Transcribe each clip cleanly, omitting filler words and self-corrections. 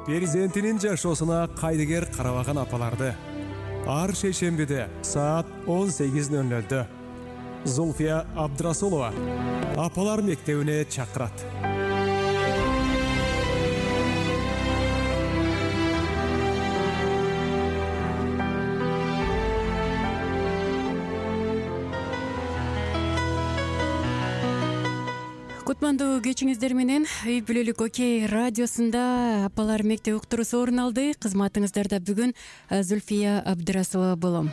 Перзентинин жашоосуна кайдыгер карабаган апаларды ар шейшембиде саат 18:00 Зульфия Абдрасулова апалар мектебине чакырат. Кутмандуу кечиңиздер менен Үй бүлөлүк Окей радиосунда апалар мектеп уктуруусу орун алды. Кызматыңыздарда бүгүн Зульфия Абдрасулова болом.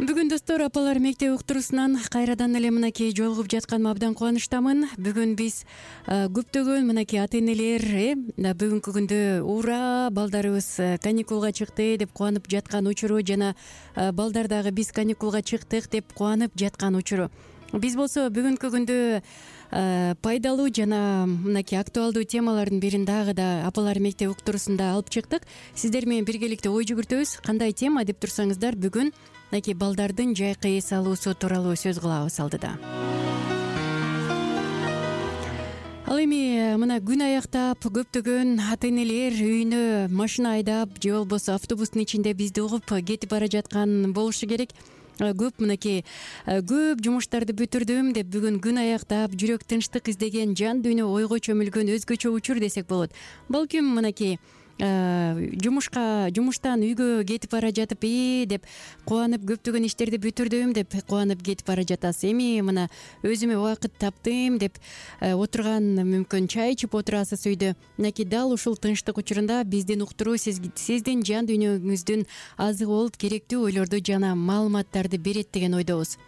Бүгүн достор апалар мектеп уктуруусунан кайрадан эле мынакей жолугуп жатканыма абдан кубанычтамын. Бүгүн биз көптөгөн мынакей ата-энелер бүгүнкү күндө ура балдарыбыз каникулга чыкты деп кубанып жаткан учуру жана балдар дагы биз каникулга чыктык деп кубанып жаткан учуру. Биз болсо бүгүнкү күндө пайдалуу жана мынакей актуалдуу темалардын бирин дагы да апалар мектеп уктуруусунда алып чыктык. Сиздер менен биргеликте ой жүгүртөбүз. Кандай тема деп турсаңыздар, бүгүн мынакей балдардын жайкы эс алуусу тууралуу сөз кылабыз алдыда. Ал эми мына күн аяктап көптөгөн ата-энелер үйүнө машина айдап же болбосо автобустун ичинде бизди угуп кетип бара жаткан болушу керек. Көп мынакей көп жумуштарды бүтүрдүм деп бүгүн күн аяктап жүрөк тынчтык издеген, жан дүйнө ойго чөмүлгөн өзгөчө учур десек болот. Балким мынакей жумуштан үйгө кетип бара жатып деп кубанып көптөгөн иштерди бүтүрдүм деп кубанып кетип бара жатасыз. Эми мына өзүмө убакыт таптым деп отурган мүмкүн чай ичип отурасыз үйдө. Мынакей дал ушул тынчтык учурунда биздин уктуруу сиздин жан дүйнөңүздүн азыгы болуп керектүү ойлорду жана маалыматтарды берет деген ойдобуз.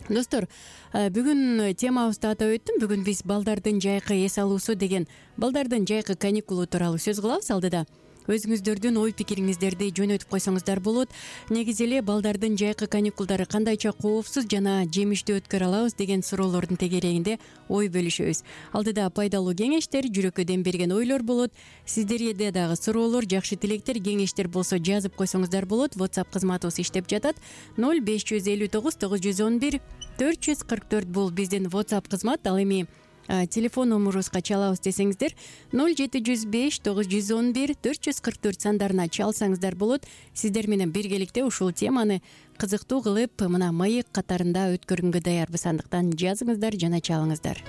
Достор, бүгүн темабызды атап өттүм. Бүгүн биз балдардын жайкы эс алуусу деген балдардын жайкы каникулу тууралуу сөз кылабыз. Алдыда өзүңүздөрдүн ой пикириңиздерди жөнөтүп койсоңуздар болот. Негизи эле балдардын жайкы каникулдары кандайча коопсуз жана жемиштүү өткөрө алабыз деген суроолордун тегерегинде ой бөлүшөбүз. Алдыда пайдалуу кеңештер, жүрөккө дем берген ойлор болот. Сиздерде дагы суроолор, жакшы тилектер, кеңештер болсо жазып койсоңуздар болот. WhatsApp кызматыбыз иштеп жатат. 0559 911 444 бул биздин WhatsApp кызмат. Ал эми телефон номерубузга чалабыз десеңиздер 0705 911 444 сандарына чалсаңыздар болот. Сиздер менен биргеликте ушул теманы кызыктуу кылып мына маек катарында өткөргөнгө даярбыз. Андыктан жазыңыздар жана чалыңыздар.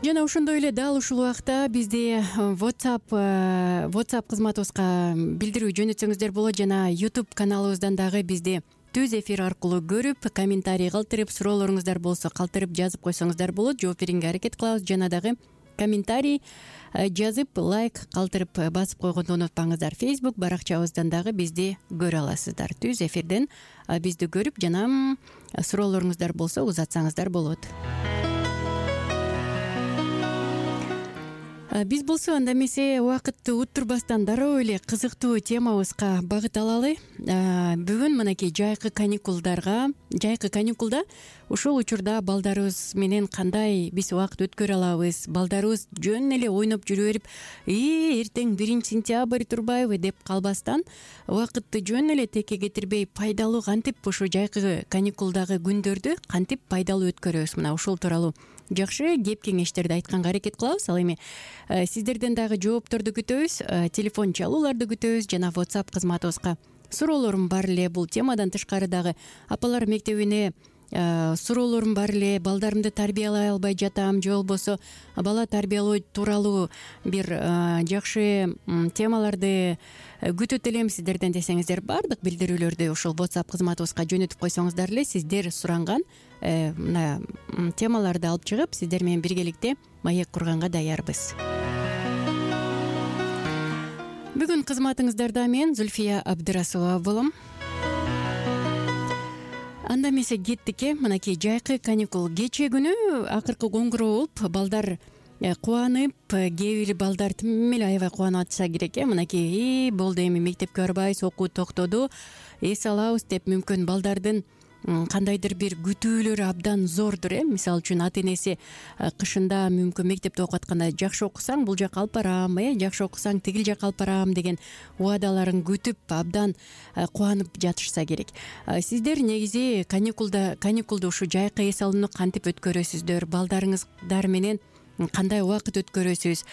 Жана ошондой эле дал ушул убакта бизде WhatsApp кызматыбызга билдирүү жөнөтсөңүздөр болот. Жана YouTube каналыбыздан дагы бизди түз эфир аркылуу көрүп, комментарий калтырып, суроолоруңуздар болсо калтырып жазып койсоңуздар болот. Жооп берүүгө аракет кылабыз. Жана дагы комментарий жазып, лайк калтырып басып койгонду унутпаңыздар. Facebook баракчабыздан дагы бизди көрө аласыздар. Түз эфирден бизди көрүп жана суроолоруңуздар болсо узатсаңыздар болот. Биз болсо анда эмесе убакытты уттурбастан дароо эле кызыктуу темабызга багыт алалы. Бүгүн мынакей жайкы каникулда ушул учурда балдарыбыз менен кандай биз убакыт өткөрө алабыз? Балдарыбыз жөн эле ойноп жүрө берип, эртең 1-сентябрь турбайбы деп калбастан, убакытты жөн эле текке кетирбей, пайдалуу кантип ушу жайкы каникулдагы күндөрдү кантип пайдалуу өткөрөбүз? Мына ушул тууралуу жакшы кеп кеңештерди айтканга аракет кылабыз. Ал эми сиздерден дагы жоопторду күтөбүз, телефон чалууларды күтөбүз жана WhatsApp кызматыбызга суроолорум бар эле. Бул темадан тышкары дагы апалар мектебине суроолорум бар эле. Балдарымды тарбиялай албай жатам, же болбосо бала тарбиялоо тууралуу бир жакшы темаларды күтөт элем сиздерден десеңиздер, баардык билдирүүлөрдү ушул WhatsApp кызматыбызга жөнөтүп койсоңуздар эле сиздер суранган мына темаларды алып чыгып, сиздер менен биргеликте маек курганга даярбыз. Бүгүн кызматыңыздарда мен Зульфия Абдрасулова болом. Анда эмесе кеттик. Мынакей жайкы каникул кечээ күнү акыркы коңгуроо болуп, балдар кубанып, кээ бир балдар тим эле аябай кубанып атса керек. Мынакей болду, эми мектепке барбайбыз, окуу токтоду, эс алабыз деп мүмкүн балдардын кандайдыр бир күтүүлөрү абдан зордур. Мисалы үчүн ата-энеси кышында мүмкүн мектепте окуп атканда жакшы окусаң бул жака алып барам, жакшы окусаң тигил жака алып барам деген убадаларын күтүп абдан кубанып жатышса керек. Сиздер негизи каникулду ушу жайкы эс алууну кантип өткөрөсүздөр? Балдарыңыздар менен кандай убакыт өткөрөсүз,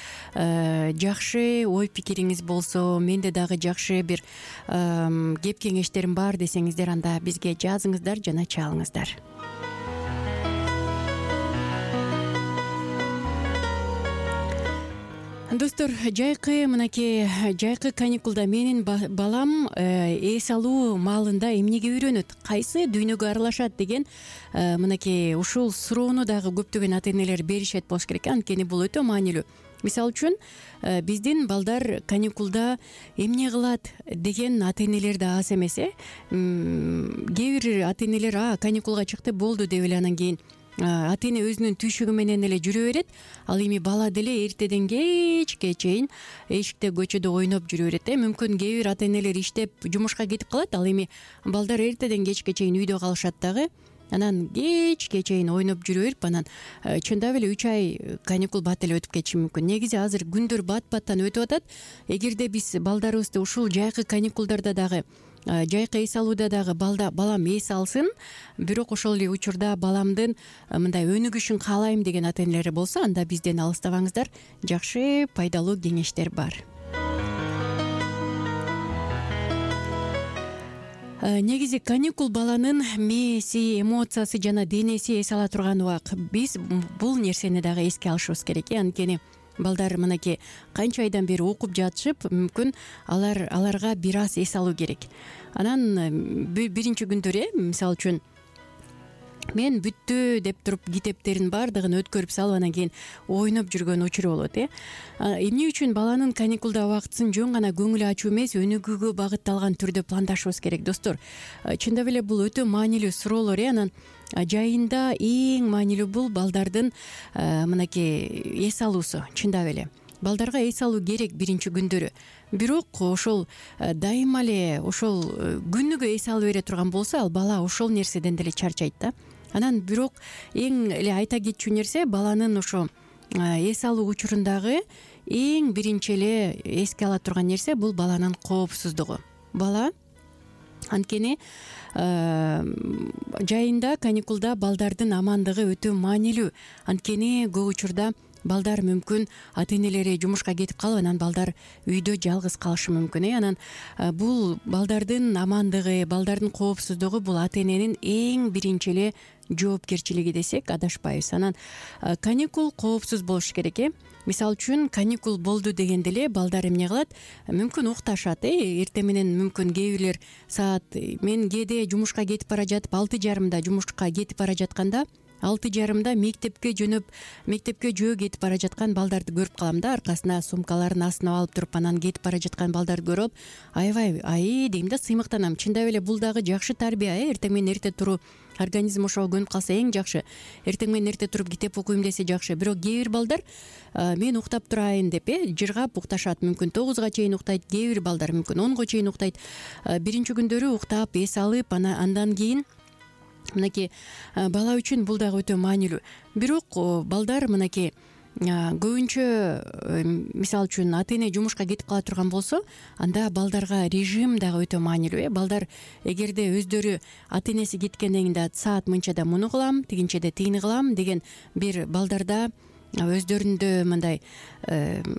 жакшы ой пикириңиз болсо, менде дагы жакшы бир кеп кеңештерим бар десеңиздер, анда бизге жазыңыздар жана чалыңыздар. Достор, жайкы каникулда менин балам эс алуу маалында эмнеге үйрөнөт, кайсы дүйнөгө аралашат деген мынакей ушул суроону дагы көптөгөн ата энелер беришет болуш керек. Анткени бул өтө маанилүү. Мисалы үчүн биздин балдар каникулда эмне кылат деген ата энелер да аз эмес. Кээ бир ата энелер каникулга чыкты болду деп эле анан кийин ата эне өзүнүн түйшүгү менен эле жүрө берет. Ал эми бала деле эртеден кечке чейин эшикте көчөдө ойноп жүрө берет. Мүмкүн кээ бир ата энелер иштеп жумушка кетип калат, ал эми балдар эртеден кечке чейин үйдө калышат дагы. Анан кечке чейин ойноп жүрө берип, анан чындап эле 3 ай каникул бат эле өтүп кетиши мүмкүн. Негизи азыр күндөр бат-баттан өтүп атат. Эгерде биз балдарыбызды ушул жайкы каникулдарда дагы, жайкы эс алууда дагы балам эс алсын, бирок ошол эле учурда баламдын мындай өнүгүшүн каалайм деген ата энелер болсо, анда бизден алыстабаңыздар. Жакшы, пайдалуу кеңештер бар. Негизи каникул баланын мээси, эмоциясы жана денеси эс ала турган убак. Биз бул нерсени дагы эске алышыбыз керек. Анткени балдар мынакей канча айдан бери окуп жатышып, мүмкүн аларга бир аз эс алуу керек. Анан биринчи күндөр, мисалы үчүн мен бүттү деп туруп китептерин баардыгын өткөрүп салып, анан кийин ойноп жүргөн учуру болот. Эмне үчүн баланын каникулда убактысын жөн гана көңүл ачуу эмес, өнүгүүгө багытталган түрдө пландашыбыз керек, достор. Чындап эле бул өтө маанилүү суроолор. Анан жайында эң маанилүү бул балдардын мынакей эс алуусу. Чындап эле балдарга эс алуу керек биринчи күндөрү. Бирок ошол дайыма эле ошол күнүгө эс алып бере турган болсо, ал бала ошол нерседен деле чарчайт да. Анан бирок эң эле айта кетчү нерсе, баланын ошо эс алуу учурундагы эң биринчи эле эске ала турган нерсе бул баланын коопсуздугу. Бала анткени жайында каникулда балдардын амандыгы өтө маанилүү. Анткени көп учурда балдар мүмкүн ата энелери жумушка кетип калып, анан балдар үйдө жалгыз калышы мүмкүн. Анан бул балдардын амандыгы, балдардын коопсуздугу бул ата эненин эң биринчи эле жоопкерчилиги десек адашпайбыз. Анан каникул коопсуз болуш керек. Мисалы үчүн каникул болду дегенде эле балдар эмне кылат? Мүмкүн укташат. Эртең менен мүмкүн кээ бирлер саат, мен кээде жумушка кетип бара жатып 6:30 жумушка кетип бара жатканда 6:30 мектепке жөө кетип бара жаткан балдарды көрүп калам да. Аркасына сумкаларын астына алып туруп, анан кетип бара жаткан балдарды көрүп, аябай дейм да, сыймыктанам. Чындап эле бул дагы жакшы тарбия. Эртең менен эрте туруу, организм ошого көнүп калса эң жакшы. Эртең менен эрте туруп китеп окуйм десе жакшы. Бирок кээ бир балдар мен уктап турайын деп жыргап укташат. Мүмкүн 9га чейин уктайт, кээ бир балдар мүмкүн 10га чейин уктайт. Биринчи күндөрү уктап эс алып, андан кийин мынакей бала үчүн бул дагы өтө маанилүү. Бирок балдар мынакей көбүнчө, мисалы үчүн ата эне жумушка кетип кала турган болсо, анда балдарга режим дагы өтө маанилүү. Балдар эгерде өздөрү ата энеси кеткенден кийин саат мынчада муну кылам, тигинчеде тигини кылам деген бир балдарда өздөрүндө мындай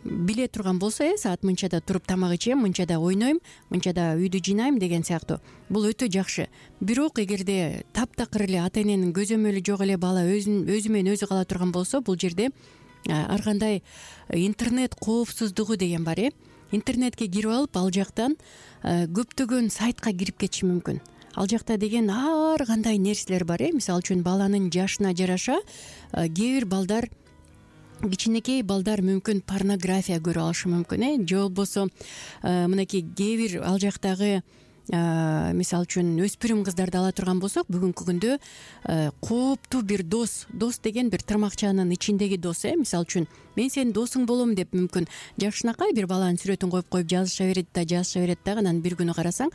биле турган болсо, саат мынчада туруп тамак ичем, мынчада ойнойм, мынчада үйдү жыйнайм деген сыяктуу, бул өтө жакшы. Бирок эгерде таптакыр эле ата эненин көзөмөлү жок эле бала өзү менен өзү кала турган болсо, бул жерде ар кандай интернет коопсуздугу деген бар. Интернетке кирип алып, ал жактан көптөгөн сайтка кирип кетиши мүмкүн. Ал жакта деген ар кандай нерселер бар. Мисалы үчүн баланын жашына жараша кээ бир балдар, кичинекей балдар мүмкүн порнография көрүп алышы мүмкүн. Же болбосо мынакей кээ бир ал жактагы мисалы үчүн өспүрүм кыздарды ала турган болсок, бүгүнкү күндө кооптуу бир дос деген бир тырмакчанын ичиндеги дос. Мисалы үчүн мен сенин досуң болом деп мүмкүн жакшынакай бир баланын сүрөтүн коюп жазыша берет дагы, анан бир күнү карасаң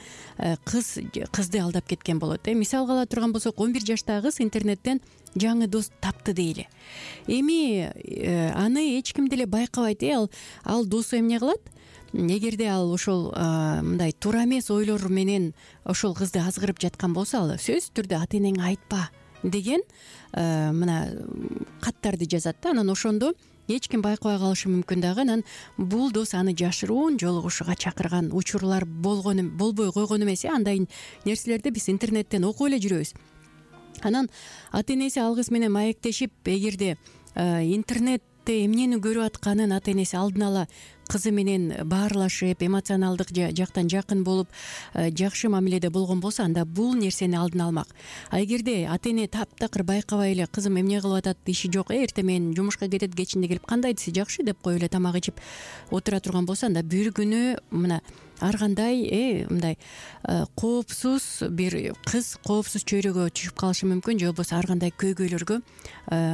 кызды алдап кеткен болот. Мисалга ала турган болсок, 11 жаштагы кыз интернеттен жаңы дос тапты дейли. Эми аны эч ким деле байкабайт. Ал досу эмне кылат? Эгерде ал ошол мындай туура эмес ойлор менен ошол кызды азгырып жаткан болсо, ал сөзсүз түрдө ата энеңе айтпа деген мына каттарды жазат да. Анан ошондо эч ким байкабай калышы мүмкүн дагы. Анан бул дос аны жашыруун жолугушууга чакырган учурлар болбой койгон эмес. Андай нерселерди биз интернеттен окуп эле жүрөбүз. Анан ата энеси алгыс менен маектешип, эгерде интернетте эмнени көрүп атканын ата энеси алдын ала кызы менен баарлашып, эмоционалдык жактан жакын болуп, жакшы мамиледе болгон болсо, анда бул нерсени алдын алмак. А эгерде ата эне таптакыр байкабай эле кызым эмне кылып атат, иши жок, эртең менен жумушка кетет, кечинде келип кандайдысы жакшы деп коюп эле тамак ичип отура турган болсо, анда бир күнү мына ар кандай мындай коопсуз бир кыз коопсуз чөйрөгө түшүп калышы мүмкүн, же болбосо ар кандай көйгөйлөргө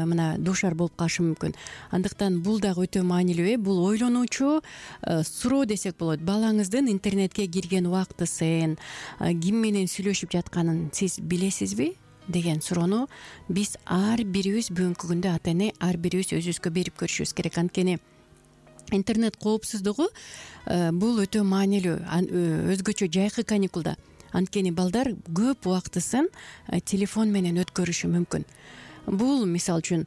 мына дуушар болуп калышы мүмкүн. Андыктан бул дагы өтө маанилүү. Бул ойлонуучу суроо десек болот. Балаңыздын интернетке кирген убактысын, ким менен сүйлөшүп жатканын сиз билесизби деген суроону биз ар бирибиз бүгүнкү күндө ата эне ар бирибиз өзүбүзгө берип көрүшүбүз керек. Анткени интернет коопсуздугу бул өтө маанилүү. Өзгөчө жайкы каникулда. Анткени балдар көп убактысын телефон менен өткөрүшү мүмкүн. Бул мисалы үчүн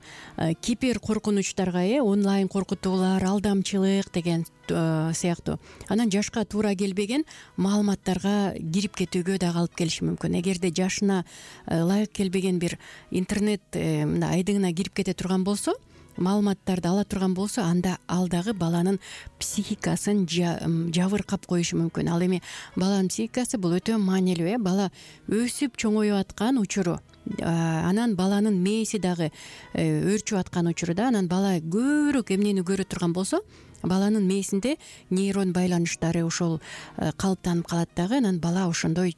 кибер коркунучтарга, онлайн коркутуулар, алдамчылык деген сыяктуу. Анан жашка туура келбеген маалыматтарга кирип кетүүгө дагы алып келиши мүмкүн. Эгерде жашына ылайык келбеген бир интернет айдыңына кирип кете турган болсо, маалыматтарды ала турган болсо, анда ал дагы баланын психикасын жабыркап коюшу мүмкүн. Ал эми баланын психикасы бул өтө маанилүү. Бала өсүп чоңоюп аткан учуру, анан баланын мээси дагы өөрчүп аткан учурда, анан бала көбүрөөк эмнени көрө турган болсо, баланын мээсинде нейрон байланыштары ошол калыптанып калат дагы. Анан бала ошондой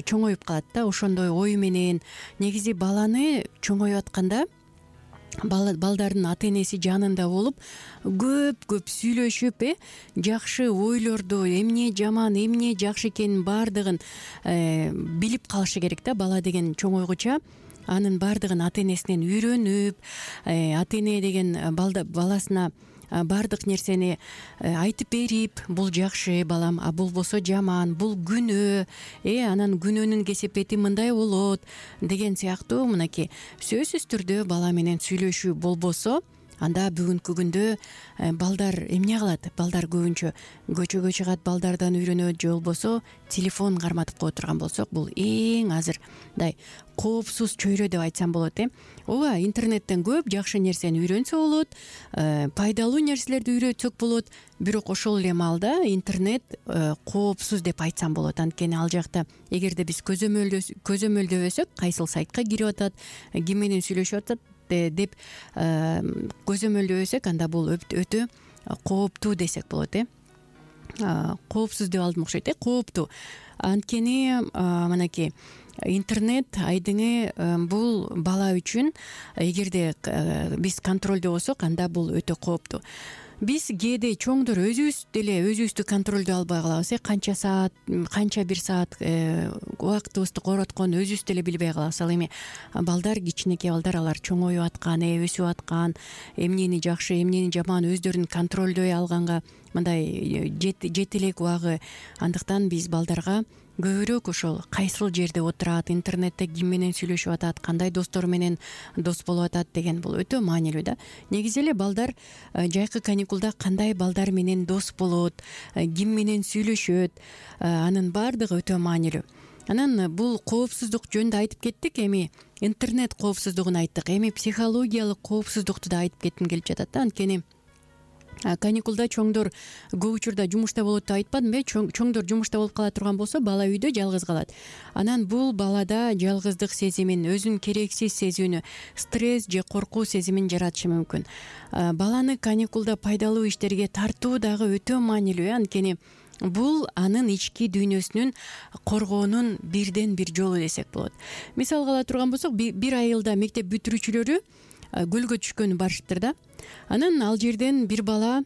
чоңоюп калат да, ошондой ой менен. Негизи баланы чоңоюп атканда балдардын ата энеси жанында болуп, көп сүйлөшүп, жакшы ойлорду, эмне жаман, эмне жакшы экенин баардыгын билип калышы керек да. Бала деген чоңойгуча анын баардыгын ата энесинен үйрөнүп, ата эне деген баласына баардык нерсени айтып берип, бул жакшы балам, а бул болсо жаман, бул күнөө, анан күнөөнүн кесепети мындай болот деген сыяктуу мынакей сөзсүз түрдө бала менен сүйлөшүү болбосо, анда бүгүнкү күндө балдар эмне кылат? Балдар көбүнчө көчөгө чыгат, балдардан үйрөнөт, же болбосо телефон карматып кое турган болсок, бул эң азыр мындай коопсуз чөйрө деп айтсам болот. Ооба, интернеттен көп жакшы нерсени үйрөнсө болот, пайдалуу нерселерди үйрөтсөк болот, бирок ошол эле маалда интернет коопсуз деп айтсам болот. Анткени ал жакта эгерде биз көзөмөлдөбөсөк, кайсыл сайтка кирип атат, ким менен сүйлөшүп атат деп көзөмөлдөбөсөк, анда бул өтө кооптуу десек болот. Коопсуз деп алдым окшойт, кооптуу. Анткени мынакей интернет айдыңы бул бала үчүн эгерде биз контролдо болсок, анда бул өтө кооптуу. Биз кээде чоңдор өзүбүздү контролдой албай калабыз. Канча бир саат убактыбызды коротконун өзүбүз деле билбей калабыз. Ал эми балдар, кичинекей балдар, алар чоңоюп аткан, өсүп аткан, эмнени жакшы, эмнени жаман өздөрүн контролдой алганга мындай жете элек убагы. Андыктан биз балдарга көбүрөөк ошол кайсыл жерде отурат, интернетте ким менен сүйлөшүп атат, кандай достору менен дос болуп атат деген бул өтө маанилүү да. Негизи эле балдар жайкы каникулда кандай балдар менен дос болот, ким менен сүйлөшөт, анын баардыгы өтө маанилүү. Анан бул коопсуздук жөнүндө айтып кеттик, эми интернет коопсуздугун айттык, эми психологиялык коопсуздукту да айтып кетким келип жатат да. Анткени каникулда чоңдор көп учурда жумушта болот деп айтпадымбы? Чоңдор жумушта болуп кала турган болсо, бала үйдө жалгыз калат. Анан бул балада жалгыздык сезимин, өзүн керексиз сезүүнү, стресс же коркуу сезимин жаратышы мүмкүн. Баланы каникулда пайдалуу иштерге тартуу дагы өтө маанилүү. Анткени бул анын ички дүйнөсүнүн коргоонун бирден бир жолу десек болот. Мисалга ала турган болсок, бир айылда мектеп бүтүрүүчүлөрү көлгө түшкөнү барышыптыр да. Анан ал жерден бир бала,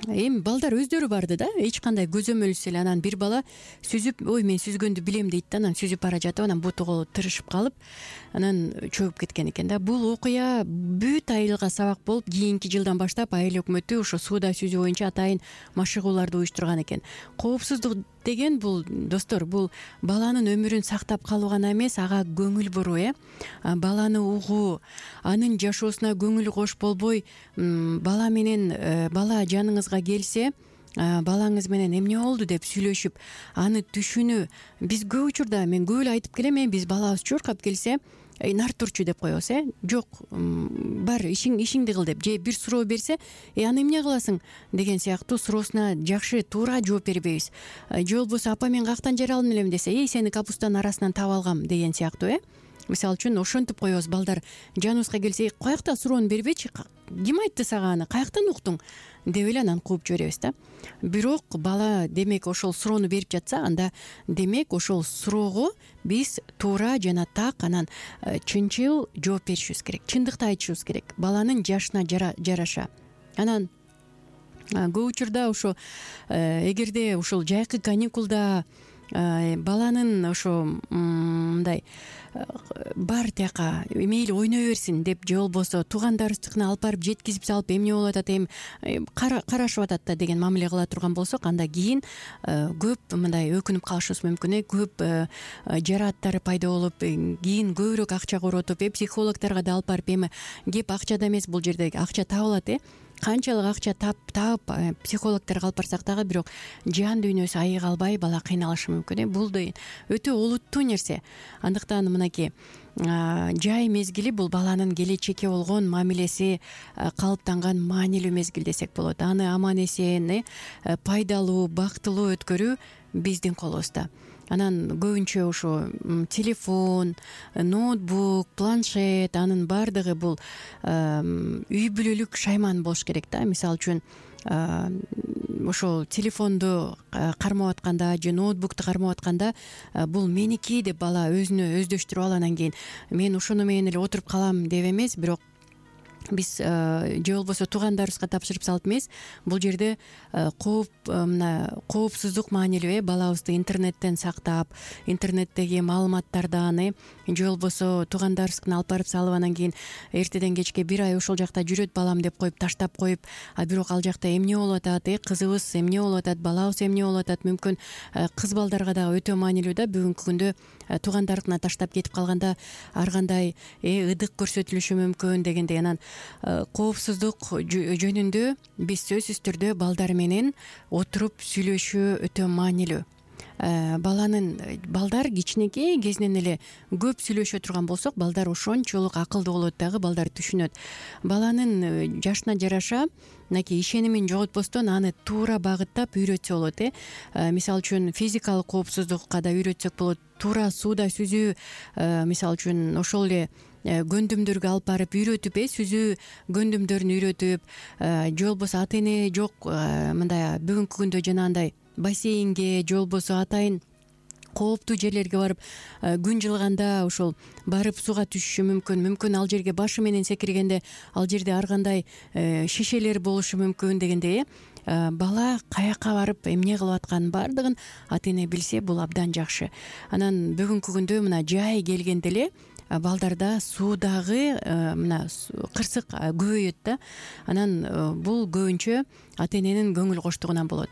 эми балдар өздөрү барды да, эч кандай көзөмөлсүз эле. Анан бир бала сүзүп, ой мен сүзгөндү билем дейт да, анан сүзүп бара жатып, анан бутугу тырышып калып, анан чөгүп кеткен экен да. Бул окуя бүт айылга сабак болуп, кийинки жылдан баштап айыл өкмөтү ошо сууда сүзүү боюнча атайын машыгууларды уюштурган экен. Коопсуздук деген бул достор, бул баланын өмүрүн сактап калуу гана эмес, ага көңүл буруу, баланы угуу, анын жашоосуна көңүл кош болбой, бала менен бала жаныңызга келсе, балаңыз менен эмне болду деп сүйлөшүп, аны түшүнүү. Биз көп учурда, мен көп эле айтып келем, биз балабыз чуркап келсе, нар турчу деп коебуз, жок, бар, ишиңди кыл деп, же бир суроо берсе, аны эмне кыласың деген сыяктуу суроосуна жакшы туура жооп бербейбиз. Же болбосо апа мен каяктан жара алдым элем десе, сени капустанын арасынан таап алгам деген сыяктуу, мисалы үчүн ошентип коебуз. Балдар жаныбызга келсе, каякта суроону бербечи, ким айтты сага аны, каяктан уктуң деп эле анан кууп жиберебиз да. Бирок бала демек ошол суроону берип жатса, анда демек ошол суроого биз туура жана так, анан чынчыл жооп беришибиз керек, чындыкты айтышыбыз керек, баланын жашына жараша. Анан көп учурда ошо эгерде ушул жайкы каникулда баланын ошо мындай бар тияка мейли ойной берсин деп, же болбосо туугандарыбыздыкына алып барып жеткизип салып, эмне болуп атат, карашып атат да деген мамиле кыла турган болсок, анда кийин көп мындай өкүнүп калышыбыз мүмкүн, көп жарааттары пайда болуп, кийин көбүрөөк акча коротуп, психологторго да алып барып, кеп акчада эмес, бул жерде акча табылат, канчалык акча таап психологторго алып барсак дагы, бирок жан дүйнөсү айыга албай бала кыйналышы мүмкүн. Бул да өтө олуттуу нерсе. Андыктан мынакей жай мезгили бул баланын келечекке болгон мамилеси калыптанган маанилүү мезгил десек болот. Аны аман эсен, пайдалуу, бактылуу өткөрүү биздин колубузда. Анан көбүнчө ошо телефон, ноутбук, планшет, анын баардыгы бул үй бүлөлүк шайман болуш керек да. Мисалы үчүн ошол телефонду кармап атканда же ноутбукту кармап атканда, бул меники деп бала өзүнө өздөштүрүп алып, анан кийин мен ошону менен эле отуруп калам деп эмес, бирок биз же болбосо туугандарыбызга тапшырып салып эмес, бул жерде коопсуздук маанилүү, балабызды интернеттен сактап, интернеттеги маалыматтардан, же болбосо туугандарыбыздыкына алып барып салып, анан кийин эртеден кечке бир ай ошол жакта жүрөт балам деп коюп таштап коюп, бирок ал жакта эмне болуп атат, кызыбыз эмне болуп атат, балабыз эмне болуп атат, мүмкүн кыз балдарга дагы өтө маанилүү да. Бүгүнкү күндө туугандарына таштап кетип калганда ар кандай ыдык көрсөтүлүшү мүмкүн дегендей. Анан коопсуздук жөнүндө биз сөзсүз түрдө балдар менен отуруп сүйлөшүү өтө маанилүү. Балдар кичинекей кезинен эле көп сүйлөшө турган болсок, балдар ошончолук акылдуу болот дагы, балдар түшүнөт. Баланын жашына жараша мынакей ишенимин жоготпостон аны туура багыттап үйрөтсө болот. Мисалы үчүн физикалык коопсуздукка да үйрөтсөк болот. Туура сууда сүзүү, мисалы үчүн ошол эле гөндүмдөргө алып барып үйрөтүп, сүзүү гөндүмдөрүн үйрөтүп, же болбосо ата эне жок, мындай бүгүнкү күндө жанагындай бассейнге, же болбосо атайын кооптуу жерлерге барып күн жылганда ошол барып сууга түшүшү мүмкүн, ал жерге башы менен секиргенде ал жерде ар кандай шишелер болушу мүмкүн дегендей. Бала каяка барып эмне кылып атканын баардыгын ата эне билсе, бул абдан жакшы. Анан бүгүнкү күндө мына жай келгенде эле балдарда суудагы мына кырсык көбөйөт да. Анан бул көбүнчө ата эненин көңүл коштугунан болот.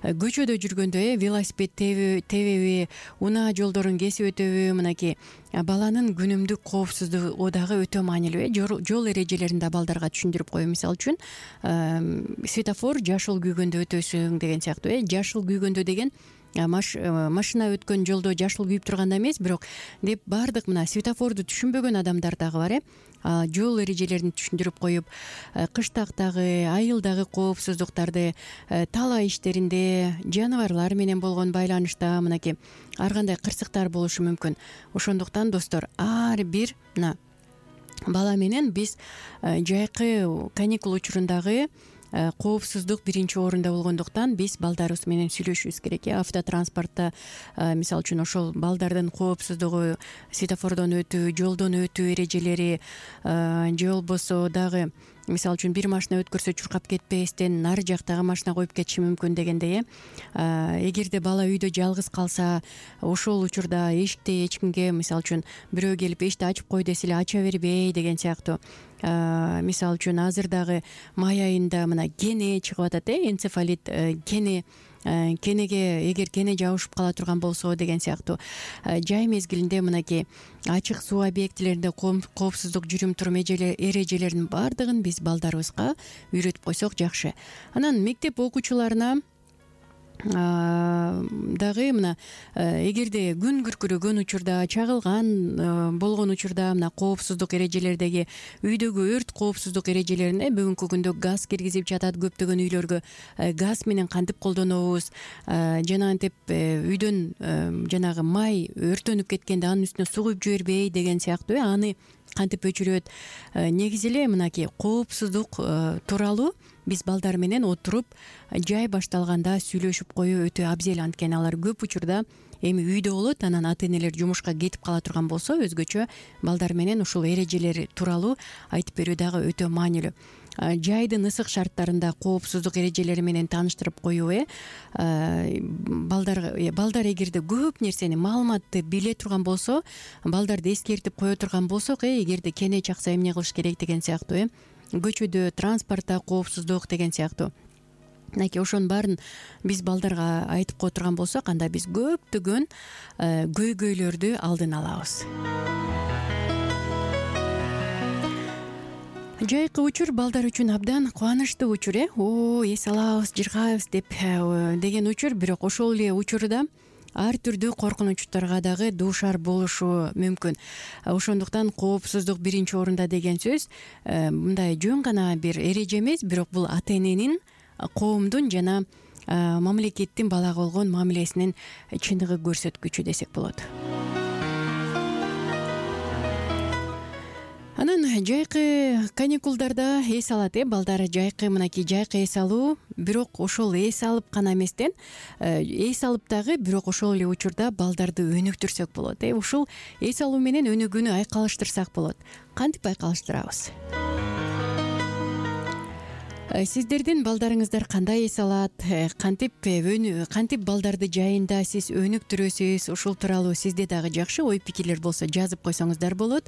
Көчөдө жүргөндө велосипед тебеби, унаа жолдорун кесип өтөбү, мынакей баланын күнүмдүк коопсуздугу дагы өтө маанилүү. Жол эрежелерин да балдарга түшүндүрүп коюу. Мисалы үчүн светофор жашыл күйгөндө өтөсүң деген сыяктуу. Жашыл күйгөндө деген машина өткөн жолдо жашыл күйүп турганда эмес, бирок деп баардык мына светофорду түшүнбөгөн адамдар дагы бар. Жол эрежелерин түшүндүрүп коюп, кыштактагы, айылдагы коопсуздуктарды, талаа иштеринде, жаныбарлар менен болгон байланышта мынакей ар кандай кырсыктар болушу мүмкүн. Ошондуктан достор, ар бир мына бала менен биз жайкы каникул учурундагы коопсуздук биринчи орунда болгондуктан биз балдарыбыз менен сүйлөшүбүз керек. Автотранспортто мисалы үчүн ошол балдардын коопсуздугу, светофордон өтүү, жолдон өтүү эрежелери, же болбосо дагы мисалы үчүн бир машина өткөрсө чуркап кетпестен нары жактагы машина коюп кетиши мүмкүн дегендей. Эгерде бала үйдө жалгыз калса, ошол учурда эшикте эч кимге мисалы үчүн бирөө келип эшикти ачып кой десе эле ача бербей деген сыяктуу. Мисалы үчүн азыр дагы май айында мына кене чыгып атат, энцефалит кене кенеге эгер кене жабышып кала турган болсо деген сыяктуу жай мезгилинде мынакей ачык суу объектилеринде коопсуздук жүрүм турум эрежелеринин баардыгын биз балдарыбызга үйрөтүп койсок жакшы. Анан мектеп окуучуларына дагы мына эгерде күн күркүрөгөн учурда, чагылган болгон учурда мына коопсуздук эрежелердеги үйдөгү өрт коопсуздук эрежелерине бүгүнкү күндө газ киргизип жатат. Көптөгөн үйлөргө газ менен кантип колдонобуз, жанагынтип үйдөн жанагы май өртөнүп кеткенде анын үстүнө суу куюп жибербей деген сыяктуу аны кантип өчүрөт. Негизи эле мынакей коопсуздук тууралуу биз балдар менен отуруп жай башталганда сүйлөшүп коюу өтө абзел. Анткени алар көп учурда эми үйдө болот, анан ата энелер жумушка кетип кала турган болсо өзгөчө балдар менен ушул эрежелер тууралуу айтып берүү дагы өтө маанилүү. Жайдын ысык шарттарында коопсуздук эрежелери менен тааныштырып коюу балдар эгерде көп нерсени маалыматты биле турган болсо, балдарды эскертип кое турган болсок, эгерде кене чакса эмне кылыш керек деген сыяктуу, көчөдө транспортто коопсуздук деген сыяктуу мынакей ошонун баарын биз балдарга айтып кое турган болсок, анда биз көптөгөн көйгөйлөрдү алдын алабыз. Жайкы учур балдар үчүн абдан кубанычтуу учур. Эс алабыз, жыргайбыз деген учур, бирок ошол эле учурда ар түрдүү коркунучтарга дагы дуушар болушу мүмкүн. Ошондуктан коопсуздук биринчи орунда деген сөз мындай жөн гана бир эреже эмес, бирок бул ата эненин, коомдун жана мамлекеттин балага болгон мамилесинин чындыгы көрсөткүчү десек болот. Анан жайкы каникулдарда эс алат балдар. Жайкы мынакей жайкы эс алуу, бирок ошол эс алып гана эместен эс алып дагы бирок ошол эле учурда балдарды өнүктүрсөк болот. Ушул эс алуу менен өнүгүүнү айкалыштырсак болот. Кантип айкалыштырабыз? Сиздердин балдарыңыздар кандай эс алат, кантип балдарды жайында сиз өнүктүрөсүз, ушул тууралуу сизде дагы жакшы ой пикирлер болсо жазып койсоңуздар болот.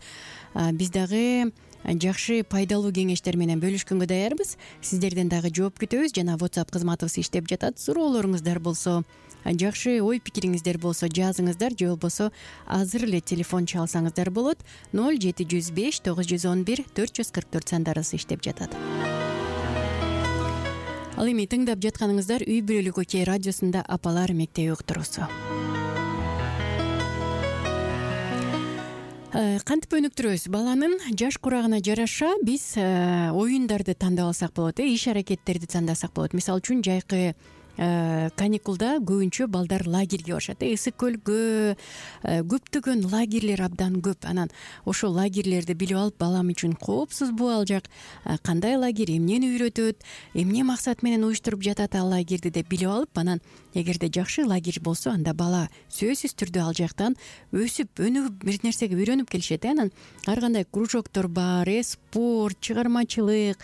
Биз дагы жакшы пайдалуу кеңештер менен бөлүшкөнгө даярбыз. Сиздерден дагы жооп күтөбүз. Жана WhatsApp кызматыбыз иштеп жатат. Суроолоруңуздар болсо, жакшы ой пикириңиздер болсо жазыңыздар, же болбосо азыр эле телефон чалсаңыздар болот. 0705 911 444 сандарыбыз иштеп жатат. Ал эми тыңдап жатканыңыздар Үй бүлөлүк окей радиосунда апалар мектеби уктуруусу. Кантип өнүктүрөбүз? Баланын жаш курагына жараша биз оюндарды тандап алсак болот, иш аракеттерди тандасак болот. Мисалы үчүн жайкы каникулда көбүнчө балдар лагерге барышат. Ысык көлгө көптөгөн лагерлер абдан көп. Анан ошол лагерлерди билип алып, балам үчүн коопсузбу ал жак, кандай лагерь, эмнени үйрөтөт, эмне максат менен уюштуруп жатат ал лагерди деп билип алып, анан эгерде жакшы лагерь болсо, анда бала сөзсүз түрдө ал жактан өсүп, өнүгүп бир нерсеге үйрөнүп келишет. Анан ар кандай кружоктор бар, спорт, чыгармачылык.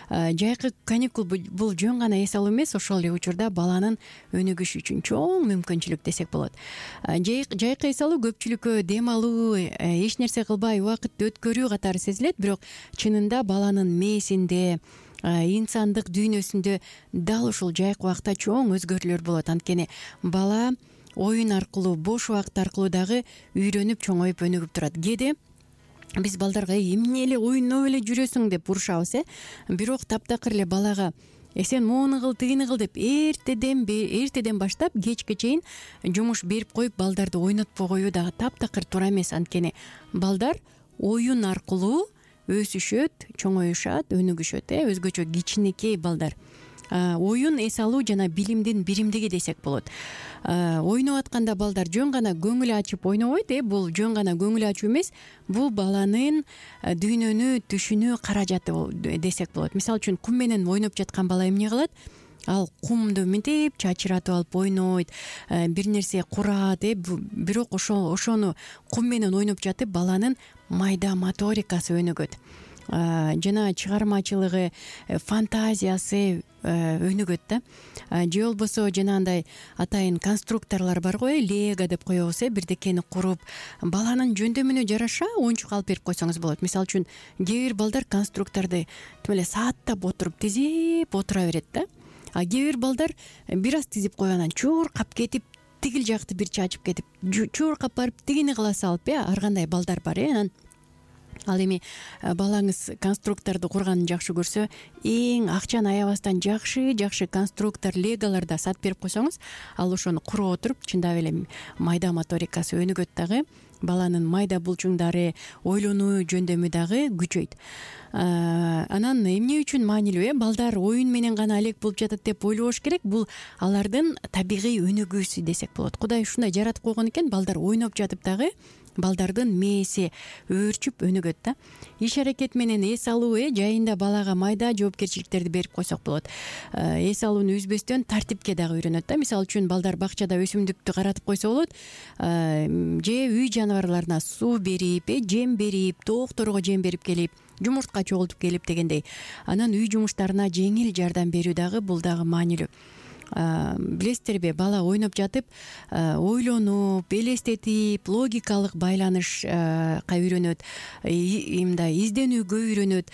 Жайкы каникул бул жөн гана эс алуу эмес, ошол эле учурда баланын өнүгүшү үчүн чоң мүмкүнчүлүк десек болот. Жайкы эс алуу көпчүлүккө дем алуу, эч нерсе кылбай убакытты өткөрүү катары сезилет, бирок чынында баланын мээсинде, инсандык дүйнөсүндө дал ушул жайкы убакта чоң өзгөрүүлөр болот. Анткени бала оюн аркылуу, бош убакыт аркылуу дагы үйрөнүп, чоңоюп, өнүгүп турат. Кээде биз балдарга эмне эле оюноп эле жүрөсүң деп урушабыз, бирок таптакыр эле балага сен муну кыл, тигини кыл деп эртеден баштап кечке чейин жумуш берип коюп балдарды ойнотпой коюу дагы таптакыр туура эмес. Анткени балдар оюн аркылуу өсүшөт, чоңоюшат, өнүгүшөт. Өзгөчө кичинекей балдар. Оюн эс алуу жана билимдин биримдиги десек болот. Ойноп атканда балдар жөн гана көңүл ачып ойнобойт. Бул жөн гана көңүл ачуу эмес, бул баланын дүйнөнү түшүнүү каражаты десек болот. Мисалы үчүн кум менен ойноп жаткан бала эмне кылат? Ал кумду мынтип чачыратып алып ойнойт, бир нерсе курат, бирок ошону кум менен ойноп жатып баланын майда моторикасы өнүгөт. Жана чыгармачылыгы, фантазиясы өнүгөт да. Же болбосо жанагындай атайын конструкторлор бар го, лего деп коебуз, бирдекени куруп, баланын жөндөмүнө жараша оюнчук алып берип койсоңуз болот. Мисалы үчүн кээ бир балдар конструкторду тим эле сааттап отуруп тизип отура берет да. кээ бир балдар бир аз тизип коюп анан чуркап кетип тигил жакты бир чачып кетип чуркап барып тигини кыла салып ар кандай балдар бар. Анан ал эми балаңыз конструкторду курганын жакшы көрсө, эң акчаны аябастан жакшы конструктор леголорду сатып берип койсоңуз, ал ошону куруп отуруп чындап эле майда моторикасы өнүгөт дагы, баланын майда булчуңдары, ойлонуу жөндөмү дагы күчөйт. Анан эмне үчүн маанилүү? Балдар оюн менен гана алек болуп жатат деп ойлобош керек. Бул алардын табигый өнүгүүсү десек болот. Кудай ушундай жаратып койгон экен, балдар ойноп жатып дагы балдардын мээси өөрчүп өнүгөт да. Иш аракет менен эс алуу жайында балага майда жоопкерчиликтерди берип койсок болот. Эс алууну үзбөстөн тартипке дагы үйрөнөт да. Мисалы үчүн балдар бакчада өсүмдүктү каратып койсо болот, же үй жаныбарларына суу берип, жем берип, тоокторго жем берип келип, жумуртка чогултуп келип дегендей. Анан үй жумуштарына жеңил жардам берүү дагы бул дагы маанилүү. Билесиздерби, бала ойноп жатып ойлонуп, элестетип, логикалык байланышка үйрөнөт, мындай изденүүгө үйрөнөт,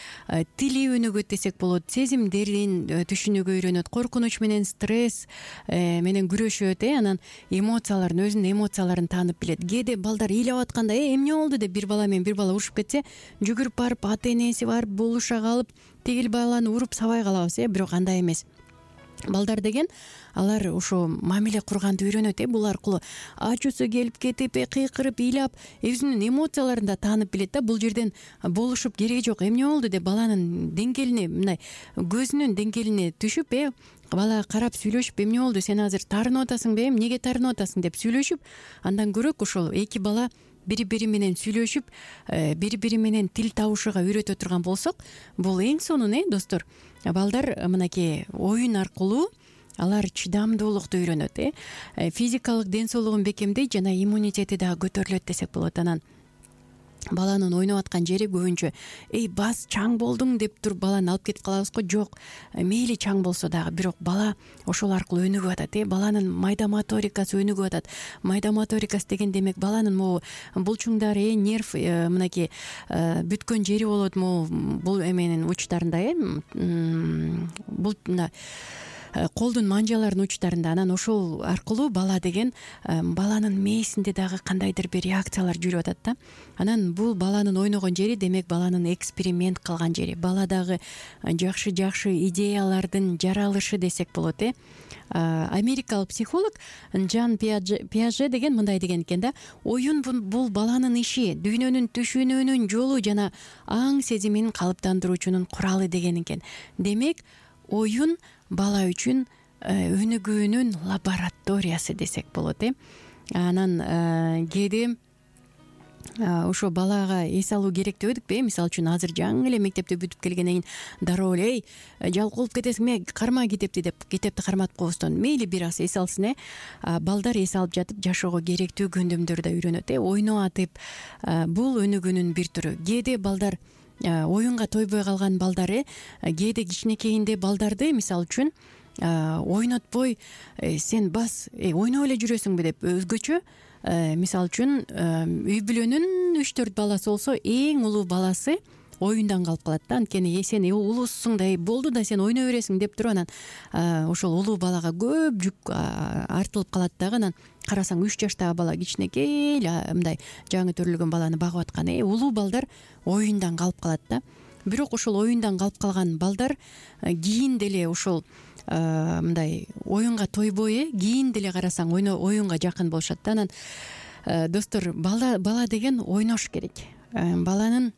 тили өнүгөт десек болот, сезимдерин түшүнүүгө үйрөнөт, коркунуч менен стресс менен күрөшөт, анан эмоцияларын, өзүнүн эмоцияларын таанып билет. Кээде балдар ыйлап атканда эмне болду деп бир бала менен бир бала урушуп кетсе, жүгүрүп барып ата энеси барып болуша калып, тигил баланы уруп сабай калабыз, бирок андай эмес. Балдар деген алар ошо мамиле курганды үйрөнөт, бул аркылуу ачуусу келип кетип, кыйкырып, ыйлап, өзүнүн эмоцияларын да таанып билет да. Бул жерден болушуп кереги жок. Эмне болду деп баланын деңгээлине, мындай көзүнүн деңгээлине түшүп, бала карап сүйлөшүп, эмне болду, сен азыр таарынып атасыңбы, эмнеге таарынып атасың деп сүйлөшүп, андан көрөк ошол эки бала бири-бири менен сүйлөшүп, бири-бири менен тил табышууга үйрөтө турган болсок, бул эң сонун, достор. Балдар мынакей оюн аркылуу алар чыдамдуулукту үйрөнөт, физикалык ден соолугун бекемдейт жана иммунитети дагы көтөрүлөт десек болот. Анан баланын ойноп аткан жери көбүнчө бас чаң болдуң деп туруп баланы алып кетип калабыз го. Жок, мейли чаң болсо дагы, бирок бала ошол аркылуу өнүгүп атат, баланын майда моторикасы өнүгүп атат. Майда моторикасы деген демек баланын могу булчуңдары, нерв мынакей бүткөн жери болот, бул эменин учтарында, бул колдун манжаларынын учтарында. Анан ошол аркылуу бала деген баланын мээсинде дагы кандайдыр бир реакциялар жүрүп атат да. Анан бул баланын ойногон жери, демек баланын эксперимент кылган жери, баладагы жакшы идеялардын жаралышы десек болот. Америкалык психолог Жан Пиаже деген мындай деген экен да: оюн бул баланын иши, дүйнөнүн түшүнүүнүн жолу жана аң сезимин калыптандыруучунун куралы деген экен. Демек оюн бала үчүн өнүгүүнүн лабораториясы десек болот. Анан кээде ошо балага эс алуу керек дебедикпи? Мисалы үчүн азыр жаңы эле мектепти бүтүп келгенден кийин дароо эле жалкоолуп кетесиңби, карма китепти деп китепти карматып коебуздон мейли бир аз эс алсын. Балдар эс алып жатып жашоого керектүү көндөмдөрдү да үйрөнөт. Ойноп атып, бул өнүгүүнүн бир түрү. Кээде балдар оюнга тойбой калган балдар, кээде кичинекейинде балдарды мисалы үчүн ойнотпой, сен бас ойноп эле жүрөсүңбү деп өзгөчө, мисалы үчүн үй бүлөнүн 3-4 баласы болсо, эң улуу баласы оюндан калып калат да. Анткени сен улуусуң да, болду да сен ойной бересиң деп туруп, анан ошол улуу балага көп жүк артылып калат дагы. Анан карасаң 3 жаштагы бала кичинекей мындай жаңы төрөлгөн баланы багып аткан. Улуу балдар оюндан калып калат да. Бирок ошол оюндан калып калган балдар кийин деле ошол мындай оюнга тойбой, кийин деле карасаң оюнга жакын болушат да. Анан достор, бала деген ойнош керек. Баланын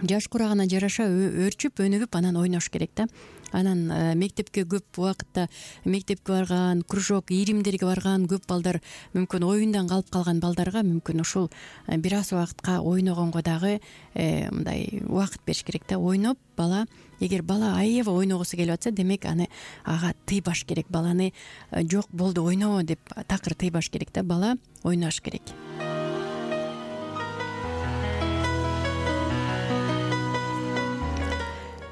жаш курагына жараша өөрчүп, өнүгүп, анан ойнош керек да. Анан мектепке көп убакытта мектепке барган, кружок, ийримдерге барган көп балдар мүмкүн оюндан калып калган балдарга мүмкүн ушул бир аз убакытка ойногонго дагы мындай убакыт бериш керек да. Ойноп, бала, эгер бала аябай ойногусу келип атса, демек ага тыйбаш керек. Баланы жок болду ойнобо деп такыр тыйбаш керек да. Бала ойнош керек.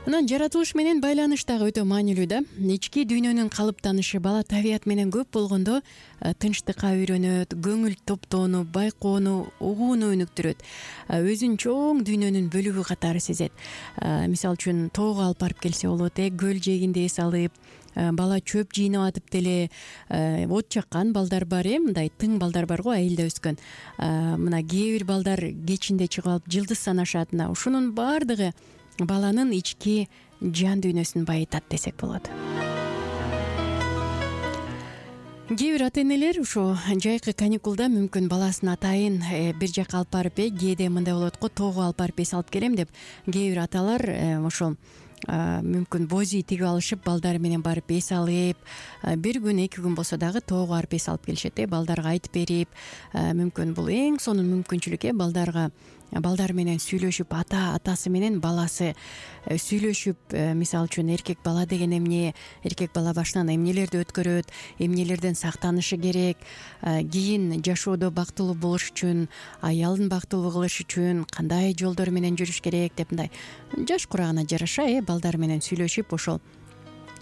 Анан жаратылыш менен байланыш дагы өтө маанилүү да. Ички дүйнөнүн калыптанышы бала табият менен көп болгондо тынчтыкка үйрөнөт, көңүл топтоону, байкоону, угууну өнүктүрөт. Өзүн чоң дүйнөнүн бөлүгү катары сезет. Мисалы үчүн тоого алып барып келсе болот, көл жээгинде эс алып, бала чөп жыйнап атып деле от жаккан балдар бар, мындай тың балдар бар го, айылда өскөн. Мына кээ бир балдар кечинде чыгып алып жылдыз санашат. Ушунун баардыгы баланын ички жан дүйнөсүн байытат десек болот. Кээ бир ата энелер ушу жайкы каникулда мүмкүн баласын атайын бир жакка алып барып, кээде мындай болот го, тоого алып барып эс алып келем деп кээ бир аталар ошол мүмкүн боз үй тигип алышып, балдары менен барып эс алып, бир күн, 2 күн болсо дагы тоого барып эс алып келишет, балдарга айтып берип, мүмкүн бул эң сонун мүмкүнчүлүк, балдар менен сүйлөшүп, атасы менен баласы сүйлөшүп, мисалы үчүн эркек бала деген эмне, эркек бала башынан эмнелерди өткөрөт, эмнелерден сактанышы керек, кийин жашоодо бактылуу болуш үчүн, аялын бактылуу кылыш үчүн кандай жолдор менен жүрүш керек деп, мындай жаш курагына жараша балдар менен сүйлөшүп, ошол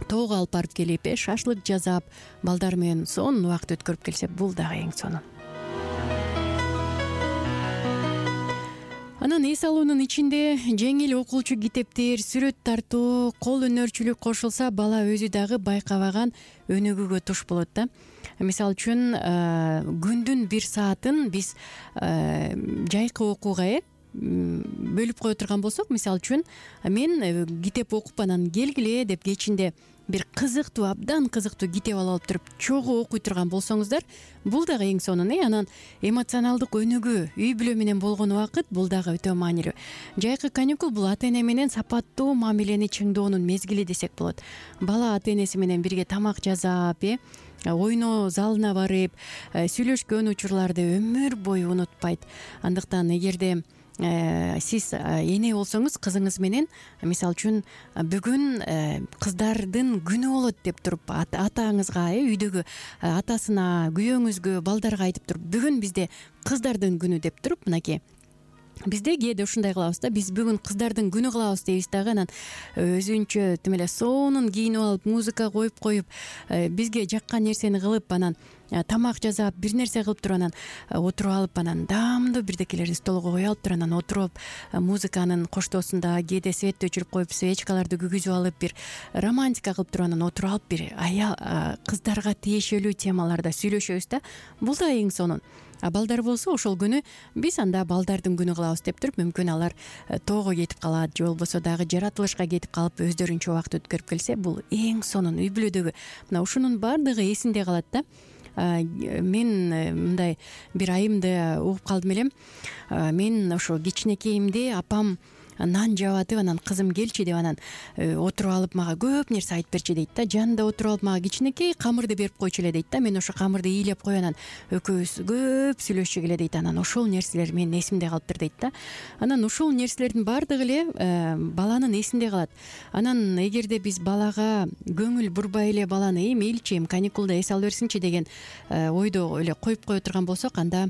тоого алып барып келип, шашлык жасап, балдар менен сонун убакыт өткөрүп келсе, бул дагы эң сонун. Анан эс алуунун ичинде жеңил окуучу китептер, сүрөт тартуу, кол өнөрчүлүк кошулса, бала өзү дагы байкабаган өнүгүүгө туш болот да. Мисалы үчүн күндүн 1 саатын биз жайкы окууга бөлүп кое турган болсок, мисалы үчүн мен китеп окуп анан келгиле деп кечинде бир кызыктуу, абдан кызыктуу китеп алып туруп чогуу окуй турган болсоңуздар, бул дагы эң сонун. Анан эмоционалдык өнүгүү, үй бүлө менен болгон убакыт, бул дагы өтө маанилүү. Жайкы каникул бул ата эне менен сапаттуу мамилени чыңдоонун мезгили десек болот. Бала ата энеси менен бирге тамак жасап, ойноо залына барып, сүйлөшкөн учурларды өмүр бою унутпайт. Андыктан эгерде сиз эне болсоңуз, кызыңыз менен, мисалы үчүн бүгүн кыздардын күнү болот деп туруп, атаңызга, үйдөгү атасына, күйөөңүзгө, балдарга айтып туруп, бүгүн бизде кыздардын күнү деп туруп, мынакей бизде кээде ушундай кылабыз да, биз бүгүн кыздардын күнү кылабыз дейбиз дагы, анан өзүнчө тим эле сонун кийинип алып, музыка коюп, бизге жаккан нерсени кылып, анан тамак жасап, бир нерсе кылып туруп, анан отуруп алып, анан даамдуу бирдекелерди столго кое алып туруп, анан отуруп, музыканын коштоосунда кээде светти өчүрүп коюп, свечкаларды күйгүзүп алып, бир романтика кылып туруп, анан отуруп алып, бир кыздарга тиешелүү темаларда сүйлөшөбүз да. Бул да эң сонун. Балдар болсо, ошол күнү биз анда балдардын күнү кылабыз деп туруп, мүмкүн алар тоого кетип калат, же болбосо дагы жаратылышка кетип калып, өздөрүнчө убакыт өткөрүп келсе, бул эң сонун. Үй бүлөдөгү мына ушунун баардыгы эсинде калат да. Мен мындай бир айымды угуп калдым элем. Мен ошо кичинекейимде апам нан жаап атып, анан кызым келчи деп, анан отуруп алып мага көп нерсе айтып берчи дейт да. Жанында отуруп алып мага кичинекей камырды берип койчу эле дейт да. Мен ошо камырды ыйлап коюп, анан экөөбүз көп сүйлөшчүк эле дейт. Анан ошол нерселер менин эсимде калыптыр дейт да. Анан ушул нерселердин баардыгы эле баланын эсинде калат. Анан эгерде биз балага көңүл бурбай эле баланы мейличи каникулда эс ала берсинчи деген ойдо эле коюп кое турган болсок, анда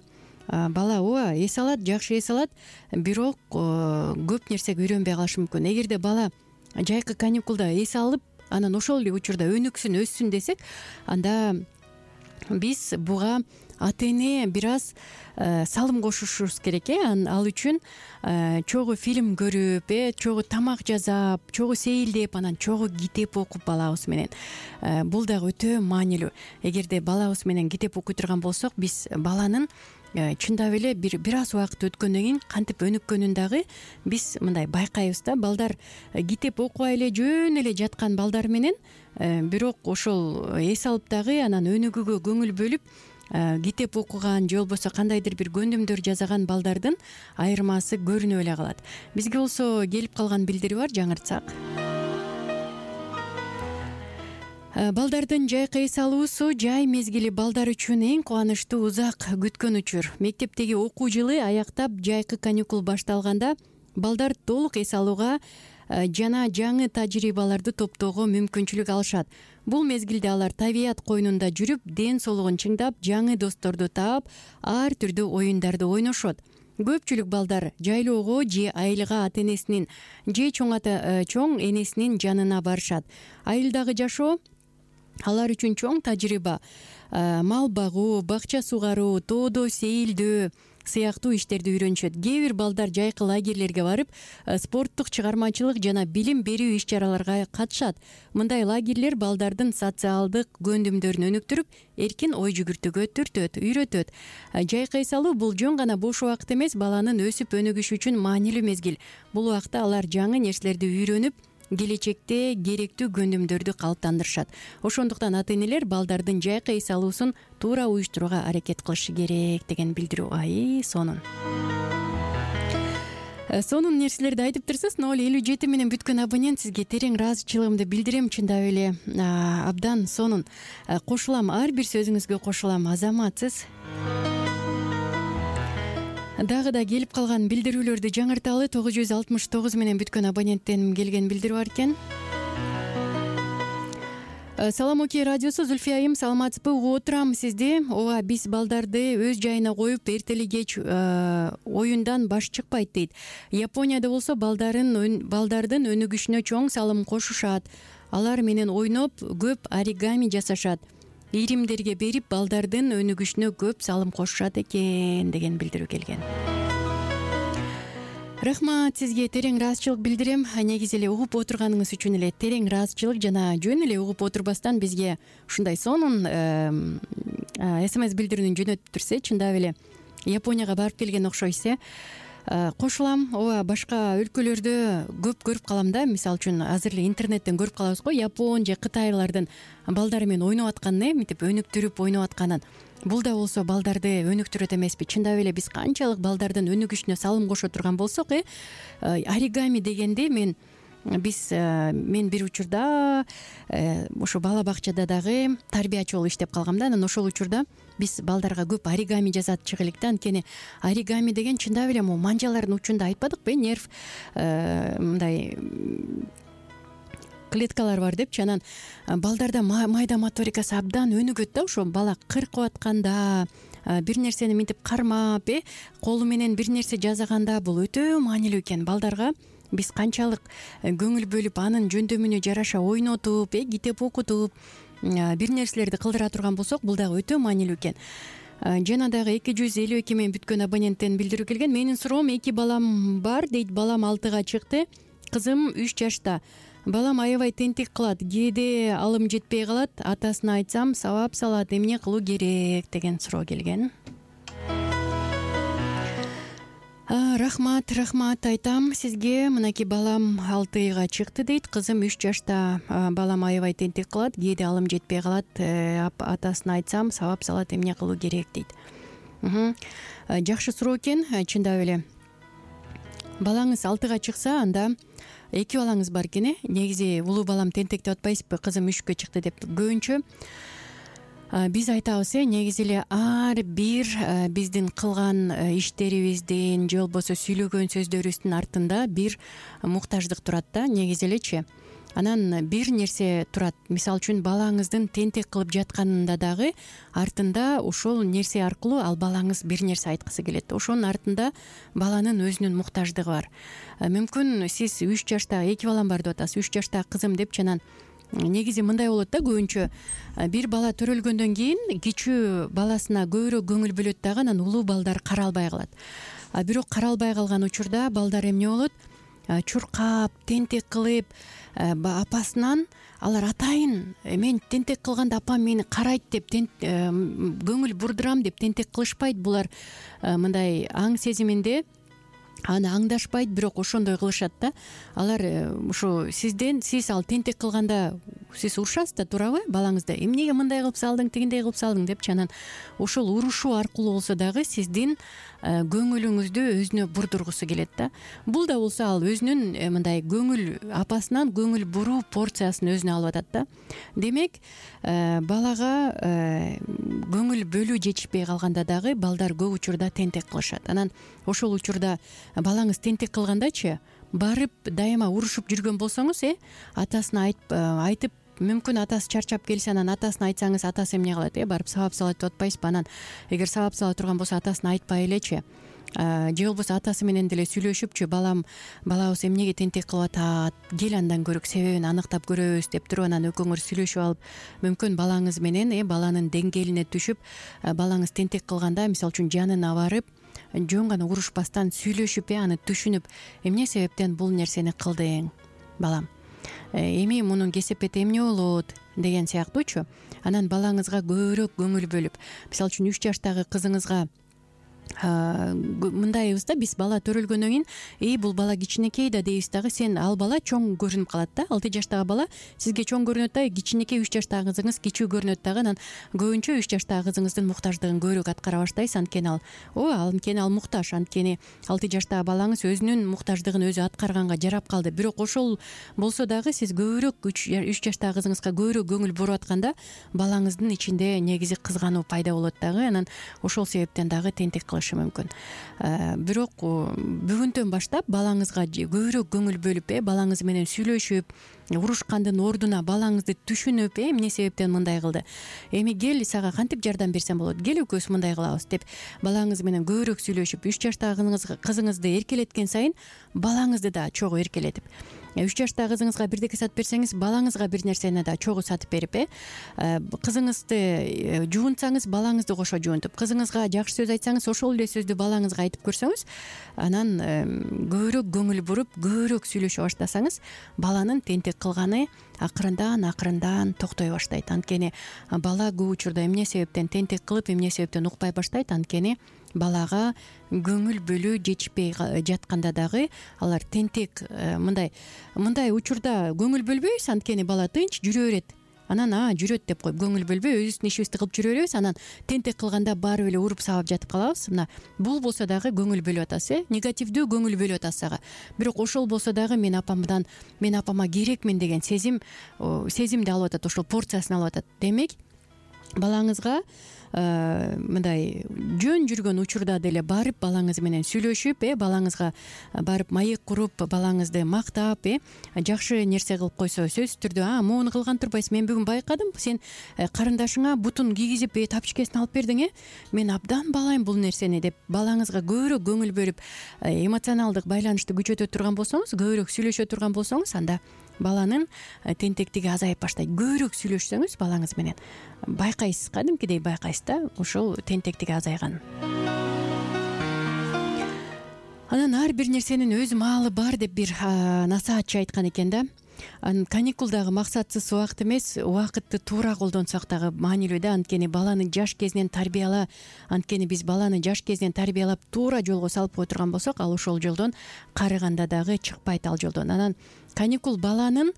бала ооба эс алат, жакшы эс алат, бирок көп нерсеге үйрөнбөй калышы мүмкүн. Эгерде бала жайкы каникулда эс алып, анан ошол эле учурда өнүксүн, өссүн десек, анда биз буга ата эне бир аз салым кошушубуз керек. Ал үчүн чогуу фильм көрүп, чогуу тамак жасап, чогуу сейилдеп, анан чогуу китеп окуп балабыз менен. Бул дагы өтө маанилүү. Эгерде балабыз менен китеп окуй турган болсок, биз баланын чындап эле бир аз убакыт өткөндөн кийин кантип өнүккөнүн дагы биз мындай байкайбыз да. Балдар китеп окубай эле жөн эле жаткан балдар менен, бирок ошол эс алып дагы анан өнүгүүгө көңүл бөлүп китеп окуган, же болбосо кандайдыр бир көндүмдөр жасаган балдардын айырмасы көрүнүп эле калат. Бизге болсо келип калган билдири бар, жаңыртсак. Балдардын жайкы эс алуусу жай мезгили балдар үчүн эң кубанычтуу, узак күткөн учур. Мектептеги окуу жылы аяктап, жайкы каникул башталганда балдар толук эс алууга жана жаңы тажрыйбаларды топтоого мүмкүнчүлүк алышат. Бул мезгилде алар табият койнунда жүрүп, ден соолугун чыңдап, жаңы досторду таап, ар түрдүү оюндарды ойношот. көпчүлүк балдар жайлоого же айылга ата энесинин же чоң энесинин жанына барышат. Айылдагы жашоо алар үчүн чоң тажрыйба. Мал багуу, бакча сугаруу, тоодо сейилдөө сыяктуу иштерди үйрөнүшөт. Кээ бир балдар жайкы лагерлерге барып, спорттук чыгармачылык жана билим берүү иш-чараларга катышат. Мындай лагерлер балдардын социалдык көндүмдөрүн өнүктүрүп, эркин ой жүгүртүүгө үйрөтөт. Жайкы эс алуу бул жөн гана бош убакыт эмес, баланын өсүп өнүгүшү үчүн маанилүү мезгил. Бул убакта алар жаңы нерселерди үйрөнүп, келечекте керектүү көндүмдөрдү калыптандырышат. Ошондуктан ата энелер балдардын жайкы эс алуусун туура уюштурууга аракет кылышы керек деген билдирүү. Сонун нерселерди айтып турсуз. 057 менен бүткөн абонент, сизге терең ыраазычылыгымды билдирем. Чындап эле абдан сонун. Кошулам, ар бир сөзүңүзгө кошулам. Азаматсыз. Дагы да келип калган билдирүүлөрдү жаңырталы. 969 менен бүткөн абоненттен келген билдирүү бар экен. Салам Оке радиосу, Зульфия айым, саламатсызбы? Угуп отурам сизди. Ооба, биз балдарды өз жайына коюп, эртели кеч оюндан баш чыкпайт дейт. Японияда болсо балдардын өнүгүшүнө чоң салым кошушат. Алар менен ойноп, көп оригами жасашат. Иримдерге берип, балдардын өнүгүшүнө көп салым кошушат экен деген билдирүү келген. Рахмат сизге, терең ыраазычылык билдирем. Негизи эле угуп отурганыңыз үчүн эле терең ыраазычылык жана жөн эле угуп отурбастан бизге ушундай сонун СМС билдирүүнү жөнөтүп турса, чындап эле Японияга барып келген окшойсуз. Кошулам. Ооба, башка өлкөлөрдө көп көрүп калам да. Мисалы үчүн азыр эле интернеттен көрүп калабыз го, Япон же Кытайлардын балдары менен ойноп атканын, мынтип өнүктүрүп ойноп атканын. Бул да болсо балдарды өнүктүрөт эмеспи? Чындап эле биз канчалык балдардын өнүгүшүнө салым кошо турган болсок, оригами дегенде мен бир учурда ошо бала бакчада дагы тарбиячы болуп иштеп калгам да. Анан ошол учурда биз балдарга көп оригами жасатчык элек да. Анткени оригами деген чындап эле могу манжалардын учунда айтпадыкпы, нерв мындай клеткалар бар депчи. Анан балдарда майда моторикасы абдан өнүгөт да. Ошо бала кыркып атканда, бир нерсени мынтип кармап, колу менен бир нерсе жасаганда бул өтө маанилүү экен. Балдарга биз канчалык көңүл бөлүп, анын жөндөмүнө жараша ойнотуп, китеп окутуп, бир нерселерди кылдыра турган болсок, бул дагы өтө маанилүү экен. Жана дагы 252 менен бүткөн абоненттен билдирүү келген. Менин суроом, 2 балам бар дейт. Балам 6-га чыкты, кызым 3 жашта. Балам аябай тентек кылат, кээде алым жетпей калат. Атасына айтсам сабап салат, эмне кылуу керек деген суроо келген. Рахмат айтам сизге. Мынакей балам 6-га чыкты дейт, кызым 3 жашта. Балам аябай тентек кылат, кээде алым жетпей калат. Атасына айтсам сабап салат, эмне кылуу керек дейт. Жакшы суроо экен. Чындап эле балаңыз 6-га чыкса, анда 2 балаңыз бар экен. Негизи улуу балам тентек деп атпайсызбы, кызым 3-кө чыкты деп. Көбүнчө биз айтабыз, негизи эле ар бир биздин кылган иштерибиздин же болбосо сүйлөгөн сөздөрүбүздүн артында бир муктаждык турат да, негизи элечи. Анан бир нерсе турат. Мисалы үчүн балаңыздын тентек кылып жатканында дагы артында ошол нерсе аркылуу ал балаңыз бир нерсе айткысы келет. Ошонун артында баланын өзүнүн муктаждыгы бар. Мүмкүн сиз 3 жашта 2 балам бар деп атасыз, 3 жашта кызым депчи. Анан негизи мындай болот да, көбүнчө бир бала төрөлгөндөн кийин кичүү баласына көбүрөөк көңүл бөлөт дагы, анан улуу балдар каралбай калат. Бирок каралбай калган учурда балдар эмне болот? Чуркап, тентек кылып, апасынан алар атайын мен тентек кылганда апам мени карайт деп көңүл бурдурам деп тентек кылышпайт. Булар мындай аң сезиминде аны аңдашпайт, бирок ошондой кылышат да. Алар ушу сиз ал тентек кылганда сиз урушасыз да, туурабы? Балаңызды эмнеге мындай кылып салдың, тигиндей кылып салдың депчи. Анан ошол урушуу аркылуу болсо дагы сиздин көңүлүңүздү өзүнө бурдургусу келет да. Бул да болсо ал өзүнүн мындай апасынан көңүл буруу порциясын өзүнө алып атат да. Демек, балага көңүл бөлүү жетишпей калганда дагы балдар көп учурда тентек кылышат. Анан ошол учурда балаңыз тентек кылгандачы барып дайыма урушуп жүргөн болсоңуз, атасына айтып, мүмкүн атасы чарчап келсе, анан атасына айтсаңыз, атасы эмне кылат? Барып сабап салат деп атпайсызбы? Анан эгер сабап сала турган болсо, атасына айтпай элечи. же болбосо атасы менен деле сүйлөшүпчү, балабыз эмнеге тентек кылып атат, кел андан көрөк, себебин аныктап көрөбүз деп туруп, анан экөөңөр сүйлөшүп алып, мүмкүн балаңыз менен баланын деңгээлине түшүп, балаңыз тентек кылганда мисалы үчүн жанына барып, жөн гана урушпастан сүйлөшүп, аны түшүнүп, эмне себептен бул нерсени кылдың балам, эми мунун кесепети эмне болот деген сыяктуучу. Анан балаңызга көбүрөөк көңүл бөлүп, мисалы үчүн 3 жаштагы кызыңызга мындайбыз да, биз бала төрөлгөндөн кийин бул бала кичинекей да дейбиз дагы, сен ал бала чоң көрүнүп калат да. 6 жаштагы бала сизге чоң көрүнөт да, кичинекей 3 жаштагы кызыңыз кичүү көрүнөт дагы. Анан көбүнчө 3 жаштагы кызыңыздын муктаждыгын көбүрөөк аткара баштайсыз. Анткени ал муктаж, анткени 6 жаштагы балаңыз өзүнүн муктаждыгын өзү аткарганга жарап калды. Бирок ошол болсо дагы сиз көбүрөөк 3 жаштагы кызыңызга көбүрөөк көңүл буруп атканда балаңыздын ичинде негизи кызгануу пайда болот дагы. Анан ошол себептен дагы тентек кылышы мүмкүн. Бирок бүгүнтөн баштап балаңызга көбүрөөк көңүл бөлүп, балаңыз менен сүйлөшүп, урушкандын ордуна балаңызды түшүнүп, эмне себептен мындай кылды, эми кел сага кантип жардам берсем болот, кел экөөбүз мындай кылабыз деп балаңыз менен көбүрөөк сүйлөшүп, 3 жаштагы кызыңызды эркелеткен сайын балаңызды да чогуу эркелетип, 3 жаштагы кызыңызга бирдеке сатып берсеңиз, балаңызга бир нерсени да чогуу сатып берип, кызыңызды жуунтсаңыз, балаңызды кошо жуунтуп, кызыңызга жакшы сөз айтсаңыз, ошол эле сөздү балаңызга айтып көрсөңүз, анан көбүрөөк көңүл буруп, көбүрөөк сүйлөшө баштасаңыз, баланын тентек кылганы акырындан токтой баштайт. Анткени бала көп учурда эмне себептен тентек кылып, эмне себептен укпай баштайт, анткени балага көңүл бөлүү жетишпей жатканда дагы алар тентек мындай учурда көңүл бөлбөйбүз, анткени бала тынч жүрө берет. Анан жүрөт деп коюп көңүл бөлбөй өзүбүздүн ишибизди кылып жүрө беребиз. Анан тентек кылганда барып эле уруп сабап жатып калабыз. Бул болсо дагы көңүл бөлүп атасыз, негативдүү көңүл бөлүп атасыз ага. Бирок ошол болсо дагы мен апама керекмин деген сезимди алып атат, ошол порциясын алып атат. Демек балаңызга мындай жөн жүргөн учурда деле барып балаңыз менен сүйлөшүп, балаңызга барып маек куруп, балаңызды мактап, жакшы нерсе кылып койсо, сөзсүз түрдө моуну кылган турбайсың, мен бүгүн байкадым, сен карындашыңа бутун кийгизип тапочкесин алып бердиң, мен абдан баалайм бул нерсени деп балаңызга көбүрөөк көңүл бөлүп, эмоционалдык байланышты күчөтө турган болсоңуз, көбүрөөк сүйлөшө турган болсоңуз, анда баланын тентектиги азайып баштайт. Көбүрөөк сүйлөшсөңүз балаңыз менен байкайсыз, кадимкидей байкайсыз да, ошол тентектиги азайганын. Анан ар бир нерсенин өз маалы бар деп бир насаатчы айткан экен да. Каникул дагы максатсыз убакыт эмес, убакытты туура колдонсок дагы маанилүү да. Анткени баланы жаш кезинен тарбияла, анткени биз баланы жаш кезинен тарбиялап туура жолго салып кое турган болсок, ал ошол жолдон карыганда дагы чыкпайт, ал жолдон. Анан каникул баланын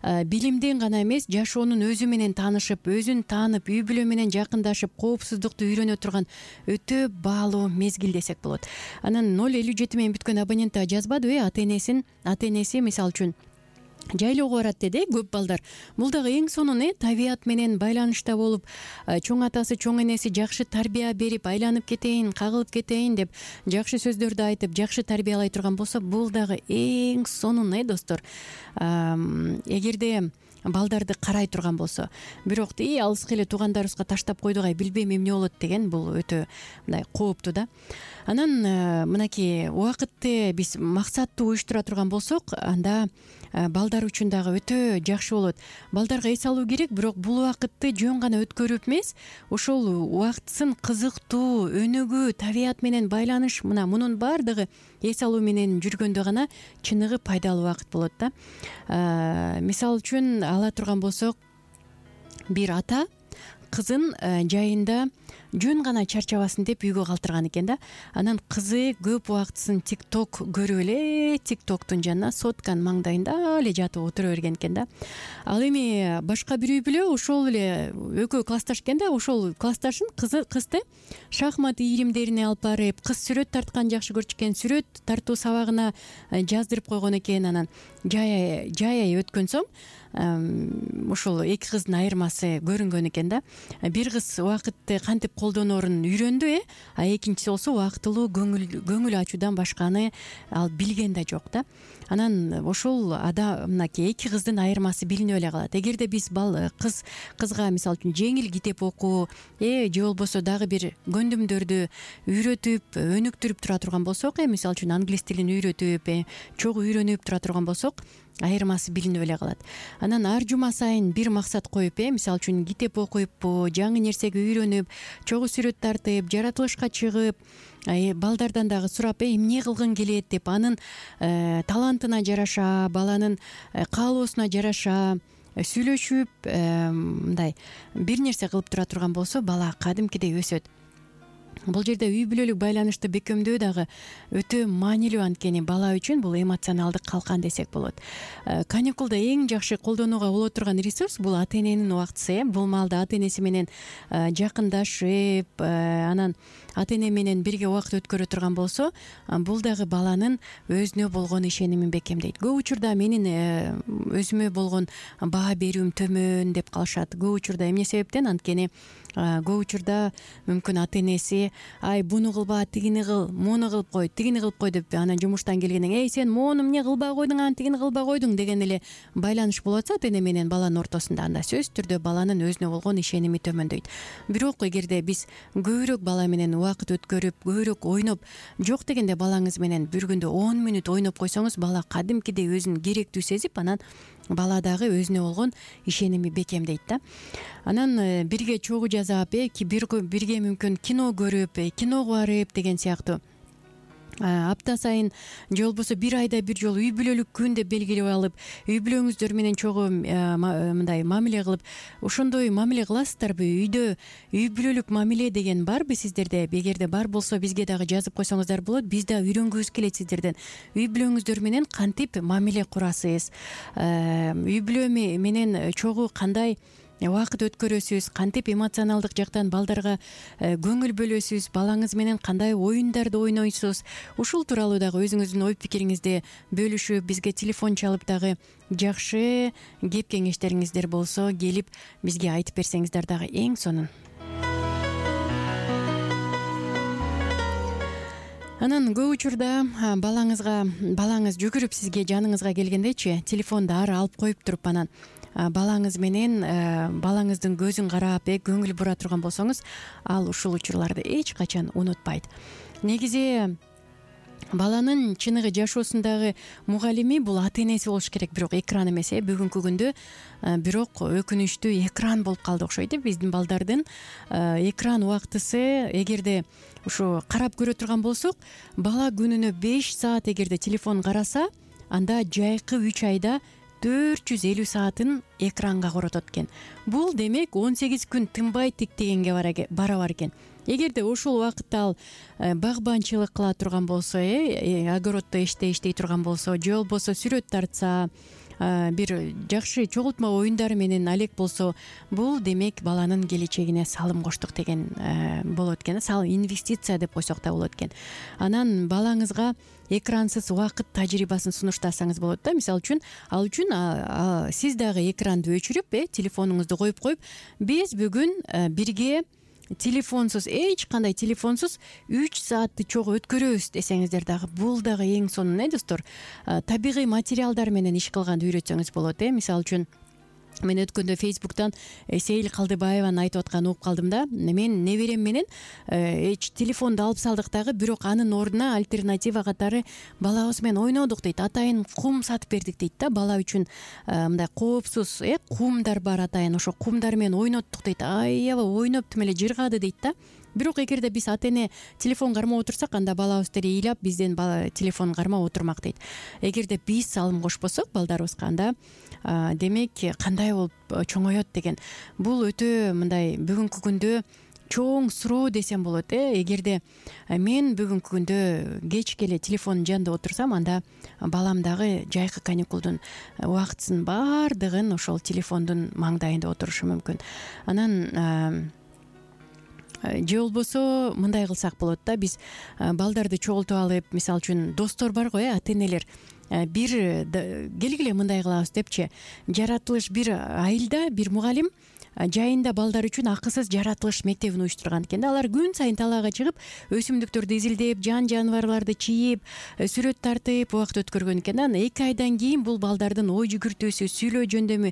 билимден гана эмес, жашоонун өзү менен таанышып, өзүн таанып, үй бүлө менен жакындашып, коопсуздукту үйрөнө турган өтө баалуу мезгил десек болот. Анан 057 менен бүткөн абонент жазбадыбы, ата-энеси мисалы үчүн жайлоого барат деди, көп балдар. Бул дагы эң сонун табият менен байланышта болуп, чоң атасы, чоң энеси жакшы тарбия берип, айланып кетейин, кагылып кетейин деп жакшы сөздөрдү айтып, жакшы тарбиялай турган болсо, бул дагы эң сонун достор. Эгерде балдарды карай турган болсо, бирок алыска эле туугандарыбызга таштап койдук, билбейм эмне болот деген, бул өтө мындай кооптуу да. Анан мынакей убакытты биз максаттуу уюштура турган болсок, анда балдар үчүн дагы өтө жакшы болот. Балдарга эс алуу керек, бирок бул убакытты жөн гана өткөрүп эмес, ошол убактысын кызыктуу, өнүгүү, табият менен байланыш, мунун баардыгы эс алуу менен жүргөндө гана чыныгы пайдалуу убакыт болот да. Мисалы үчүн ала турган болсок, бир ата кызын жайында жөн гана чарчабасын деп үйгө калтырган экен да. Анан кызы көп убактысын тикток көрүп эле, тиктоктун жанына сотканын маңдайында эле жатып отура берген экен да. Ал эми башка бир үй бүлө ошол эле экөө классташ экен да, ошол классташын кызды шахмат ийримдерине алып барып, кыз сүрөт тартканды жакшы көрчү экен, сүрөт тартуу сабагына жаздырып койгон экен. Анан жай өткөн соң ошол эки кыздын айырмасы көрүнгөн экен да. Бир кыз убакытты кантип кантип колдоноорун үйрөндү, а экинчиси болсо убактылуу көңүл ачуудан башканы ал билген да жок да. Анан ошол мынакей эки кыздын айырмасы билинип эле калат. Эгерде биз кызга мисалы үчүн жеңил китеп окуу же болбосо дагы бир көндүмдөрдү үйрөтүп өнүктүрүп тура турган болсок, мисалы үчүн англис тилин үйрөтүп чогуу үйрөнүп тура турган болсок, айырмасы билинип эле калат. Анан ар жума сайын бир максат коюп, мисалы үчүн китеп окуйппу, жаңы нерсеге үйрөнүп, чогуу сүрөт тартып, жаратылышка чыгып, балдардан дагы сурап, эмне кылгың келет деп, анын талантына жараша, баланын каалоосуна жараша сүйлөшүп, мындай бир нерсе кылып тура турган болсо, бала кадимкидей өсөт. Бул жерде үй бүлөлүк байланышты бекемдөө дагы өтө маанилүү, анткени бала үчүн бул эмоционалдык калкан десек болот. Каникулда эң жакшы колдонууга боло турган ресурс бул ата эненин убактысы. Бул маалда ата энеси менен жакындашып, анан ата эне менен бирге убакыт өткөрө турган болсо, бул дагы баланын өзүнө болгон ишенимин бекемдейт. Көп учурда менин өзүмө болгон баа берүүм төмөн деп калышат. Көп учурда эмне себептен? Анткени көп учурда мүмкүн ата энеси буну кылба, тигини кыл, муну кылып кой, тигини кылып кой деп, анан жумуштан келгенден сен моуну эмне кылбай койдуң, анан тигини кылбай койдуң деген эле байланыш болуп атса ата эне менен баланын ортосунда, анда сөзсүз түрдө баланын өзүнө болгон ишеними төмөндөйт. Бирок эгерде биз көбүрөөк бала менен убакыт өткөрүп, көбүрөөк ойноп, жок дегенде балаңыз менен бир күндө 10 мүнөт ойноп койсоңуз, бала кадимкидей өзүн керектүү сезип, анан бала дагы өзүнө болгон ишеними бекемдейт да. Анан бирге чогуу жасап, бирге мүмкүн кино көрүп, киного барып деген сыяктуу апта сайын же болбосо бир айда бир жолу үй бүлөлүк күн деп белгилеп алып, үй бүлөңүздөр менен чогуу мындай мамиле кылып, ошондой мамиле кыласыздарбы? Үйдө үй бүлөлүк мамиле деген барбы сиздерде? Эгерде бар болсо бизге дагы жазып койсоңуздар болот. Биз да үйрөнгүбүз келет сиздерден. Үй бүлөңүздөр менен кантип мамиле курасыз? Үй бүлө менен чогуу кандай убакыт өткөрөсүз, кантип эмоционалдык жактан балдарга көңүл бөлөсүз, балаңыз менен кандай оюндарды ойнойсуз? Ушул тууралуу дагы өзүңүздүн ой пикириңизди бөлүшүп, бизге телефон чалып дагы жакшы кеп кеңештериңиздер болсо келип бизге айтып берсеңиздер дагы эң сонун. Анан көп учурда балаңыз жүгүрүп сизге жаныңызга келгендечи, телефонду ары алып коюп туруп, анан балаңыз менен балаңыздын көзүн карап, көңүл бура турган болсоңуз, ал ушул учурларды эч качан унутпайт. Негизи баланын чыныгы жашоосундагы мугалими бул ата энеси болуш керек, бирок экран эмес. Бүгүнкү күндө бирок өкүнүчтүү экран болуп калды окшойт. Биздин балдардын экран убактысы, эгерде ушу карап көрө турган болсок, бала күнүнө 5 саат эгерде телефон караса, анда жайкы 3 айда 450 саатын экранга коротот экен. Бул демек 18 күн тынбай тиктегенге барабар экен. Эгерде ошол убакытта ал багбанчылык кыла турган болсо, огороддо иштей турган болсо, же болбосо сүрөт тартса, бир жакшы чогултма оюндары менен алек болсо, бул демек баланын келечегине салым коштук деген болот экен. Инвестиция деп койсок да болот экен. Анан балаңызга экрансыз убакыт тажрыйбасын сунуштасаңыз болот да. Мисалы үчүн, ал үчүн сиз дагы экранды өчүрүп, телефонуңузду коюп, биз бүгүн бирге телефонсуз, эч кандай телефонсуз 3 саатты чогуу өткөрөбүз десеңиздер дагы, бул дагы эң сонун, достор. Табигый материалдар менен иш кылганды үйрөтсөңүз болот. Мисалы үчүн, мен өткөндө Фейсбуктан Сейил Калдыбаеваны айтып атканын угуп калдым да. Мен неберем менен телефонду алып салдык дагы, бирок анын ордуна альтернатива катары балабыз менен ойнодук дейт. Атайын кум сатып бердик дейт да. Бала үчүн мындай коопсуз кумдар бар, атайын ошо кумдар менен ойноттук дейт. Аябай ойноп тим эле жыргады дейт да. Бирок эгерде биз ата эне телефон кармап отурсак, анда балабыз деле ыйлап бизден телефон кармап отурмак дейт. Эгерде биз салым кошпосок балдарыбызга, анда демек кандай болуп чоңоет деген. Бул өтө мындай бүгүнкү күндө чоң суроо десем болот. Эгерде мен бүгүнкү күндө кечке эле телефондун жанында отурсам, анда балам дагы жайкы каникулдун убактысын баардыгын ошол телефондун маңдайында отурушу мүмкүн. Анан же болбосо мындай кылсак болот да. Биз балдарды чогултуп алып, мисалы үчүн достор бар го, ата энелер, бир келгиле мындай кылабыз депчи, жаратылыш бир айылда бир мугалим жайында балдар үчүн акысыз жаратылыш мектебин уюштурган экен да. Алар күн сайын талаага чыгып өсүмдүктөрдү изилдеп, жан жаныбарларды чийип, сүрөт тартып убакыт өткөргөн экен да. Анан 2 айдан кийин бул балдардын ой жүгүртүүсү, сүйлөө жөндөмү,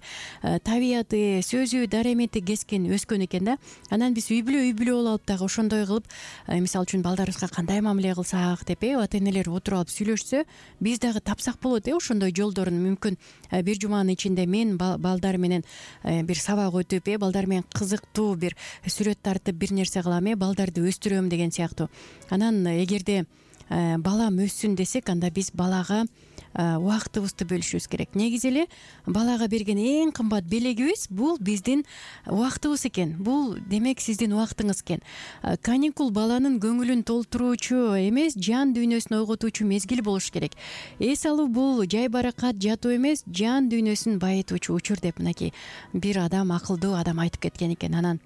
табияты, сөзү, даремети өскөн экен да. Анан биз үй бүлө болуп алып дагы ошондой кылып, мисалы үчүн балдарыбызга кандай мамиле кылсак деп ата энелер отуруп алып сүйлөшсө, биз дагы тапсак болот ошондой жолдорун. Мүмкүн бир жуманын ичинде мен балдар менен бир сабак өтүп, балдар менен кызыктуу бир сүрөт тартып бир нерсе кылам, балдарды өстүрөм деген сыяктуу. Анан эгерде балам өссүн десек, анда биз балага убактыбызды бөлүшүбүз керек. Негизи эле балага берген эң кымбат белегибиз бул биздин убактыбыз экен. Бул демек сиздин убактыңыз экен. Каникул баланын көңүлүн толтуруучу эмес, жан дүйнөсүн ойготуучу мезгил болуш керек. Эс алуу бул жай баракат жатуу эмес, жан дүйнөсүн байытуучу учур деп мынакей бир акылдуу адам айтып кеткен экен. Анан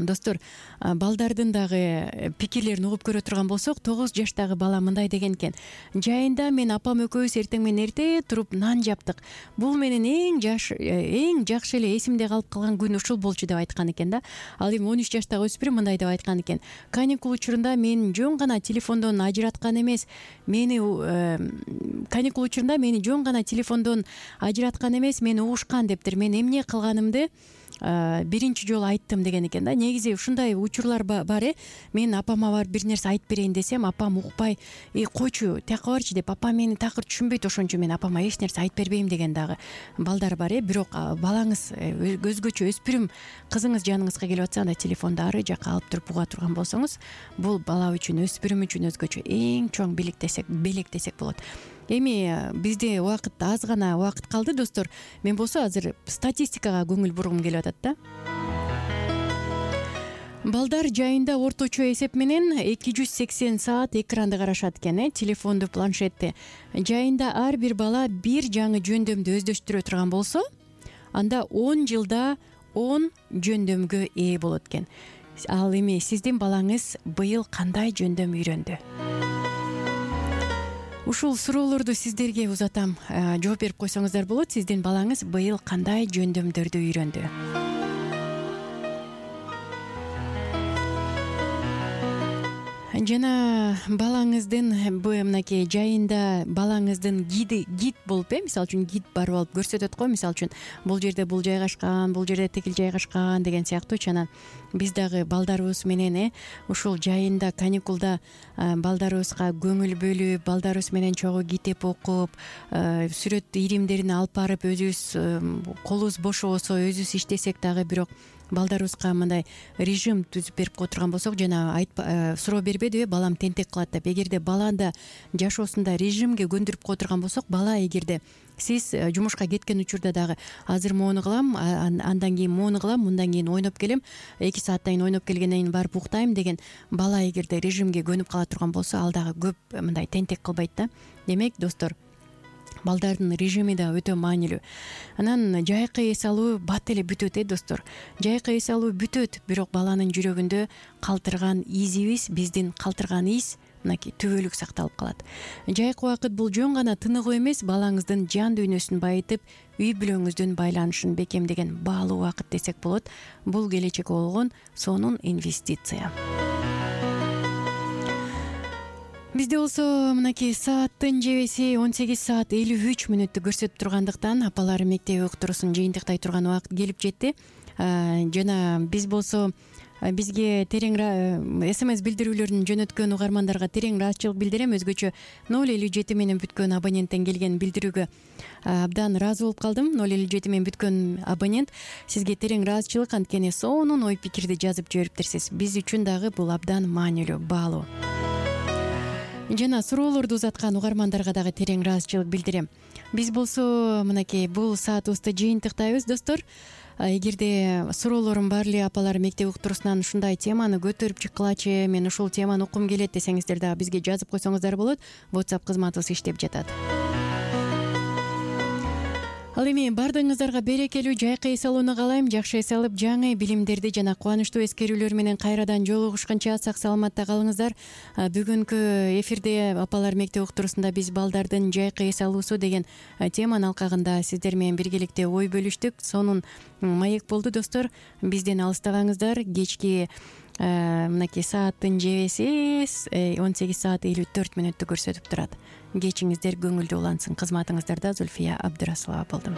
достор, балдардын дагы пикирлерин угуп көрө турган болсок, 9 жаштагы бала мындай деген экен: жайында мен апам экөөбүз эртең менен эрте туруп нан жаптык. Бул менин эң жакшы эле эсимде калып калган күн ушул болчу деп айткан экен да. Ал эми 13 жаштагы өспүрүм мындай деп айткан экен: каникул учурунда мени жөн гана телефондон ажыраткан эмес, мени угушкан дептир. Мен эмне кылганымды биринчи жолу айттым деген экен да. Негизи ушундай учурлар бар. Мен апама барып бир нерсе айтып берейин десем, апам укпай, койчу, тияка барчы деп, апам мени такыр түшүнбөйт, ошон үчүн мен апама эч нерсе айтып бербейм деген дагы балдар бар. Бирок балаңыз өзгөчө өспүрүм кызыңыз жаныңызга келип атса, анда телефонду ары жака алып туруп уга турган болсоңуз, бул бала үчүн, өспүрүм үчүн өзгөчө эң чоң белек десек болот. Эми бизде аз гана убакыт калды, достор. Мен болсо азыр статистикага көңүл бургум келип атат да. Балдар жайында орточо эсеп менен 280 саат экранды карашат экен, телефонду, планшетти. Жайында ар бир бала бир жаңы жөндөмдү өздөштүрө турган болсо, анда 10 жылда 10 жөндөмгө ээ болот экен. Ал эми сиздин балаңыз быйыл кандай жөндөм үйрөндү? Ушул суроолорду сиздерге узатам. Жооп берип койсоңуздар болот. Сиздин балаңыз быйыл кандай жөндөмдөрдү үйрөндү? Жана балаңыздын мынакей жайында балаңыздын гид болуп, мисалы үчүн гид барып алып көрсөтөт го, мисалы үчүн бул жерде бул жайгашкан, бул жерде тигил жайгашкан деген сыяктуучу. Анан биз дагы балдарыбыз менен ушул жайында каникулда балдарыбызга көңүл бөлүп, балдарыбыз менен чогуу китеп окуп, сүрөт иримдерин алып барып өзүбүз колубуз бош болсо өзүбүз иштесек дагы, бирок балдарыбызга мындай режим түзүп берип кое турган болсок, жана суроо бербедиби, балам тентек кылат деп. Эгерде балада жашоосунда режимге көндүрүп кое турган болсок, бала эгерде сиз жумушка кеткен учурда дагы азыр моуну кылам, андан кийин моуну кылам, мындан кийин ойноп келем, 2 сааттан кийин ойноп келгенден кийин барып уктайм деген бала эгерде режимге көнүп кала турган болсо, ал дагы көп мындай тентек кылбайт да. Демек, достор, балдардын режими да өтө маанилүү. Анан жайкы эс алуу бат эле бүтөт, достор. Жайкы эс алуу бүтөт, бирок баланын жүрөгүндө калтырган изибиз, биздин калтырган из мынакей түбөлүк сакталып калат. Жайкы убакыт бул жөн гана тыныгуу эмес, балаңыздын жан дүйнөсүн байытып, үй бүлөңүздүн байланышын бекемдеген баалуу убакыт десек болот. Бул келечекке болгон сонун инвестиция. Бизде болсо мынакей сааттын жебеси 18 саат 53 мүнөттү көрсөтүп тургандыктан апалар мектеби уктуруусун жыйынтыктай турган убакыт келип жетти. Жана биз болсо бизге терең СМС билдирүүлөрүн жөнөткөн угармандарга терең ыраазычылык билдирем. Өзгөчө 057 менен бүткөн абоненттен келген билдирүүгө абдан ыраазы болуп калдым. 057 менен бүткөн абонент, сизге терең ыраазычылык, анткени сонун ой пикирди жазып жибериптирсиз. Биз үчүн дагы бул абдан маанилүү, баалуу. Жана суроолорду узаткан угармандарга дагы терең ыраазычылык билдирем. Биз болсо мынакей бул саатыбызды жыйынтыктайбыз, достор. Эгерде суроолорум бар эле, апалар мектеп уктуруусунан ушундай теманы көтөрүп чыккылачы, мен ушул теманы уккум келет десеңиздер дагы бизге жазып койсоңуздар болот. WhatsApp кызматыбыз иштеп жатат. ал эми баардыгыңыздарга берекелүү жайкы эс алууну каалайм. Жакшы эс алып, жаңы билимдерди жана кубанычтуу эскерүүлөр менен кайрадан жолугушканча сак саламатта калыңыздар. Бүгүнкү эфирде апалар мектеп уктуруусунда биз балдардын жайкы эс алуусу деген теманын алкагында сиздер менен биргеликте ой бөлүштүк. Сонун маек болду достор. Бизден алыстабаңыздар. Кечки мынакей сааттын жебеси 18 саат 54 мүнөттү көрсөтүп турат. Кечиңиздер көңүлдүү улансын. Кызматыңыздарда Зульфия Абдрасулова болдум.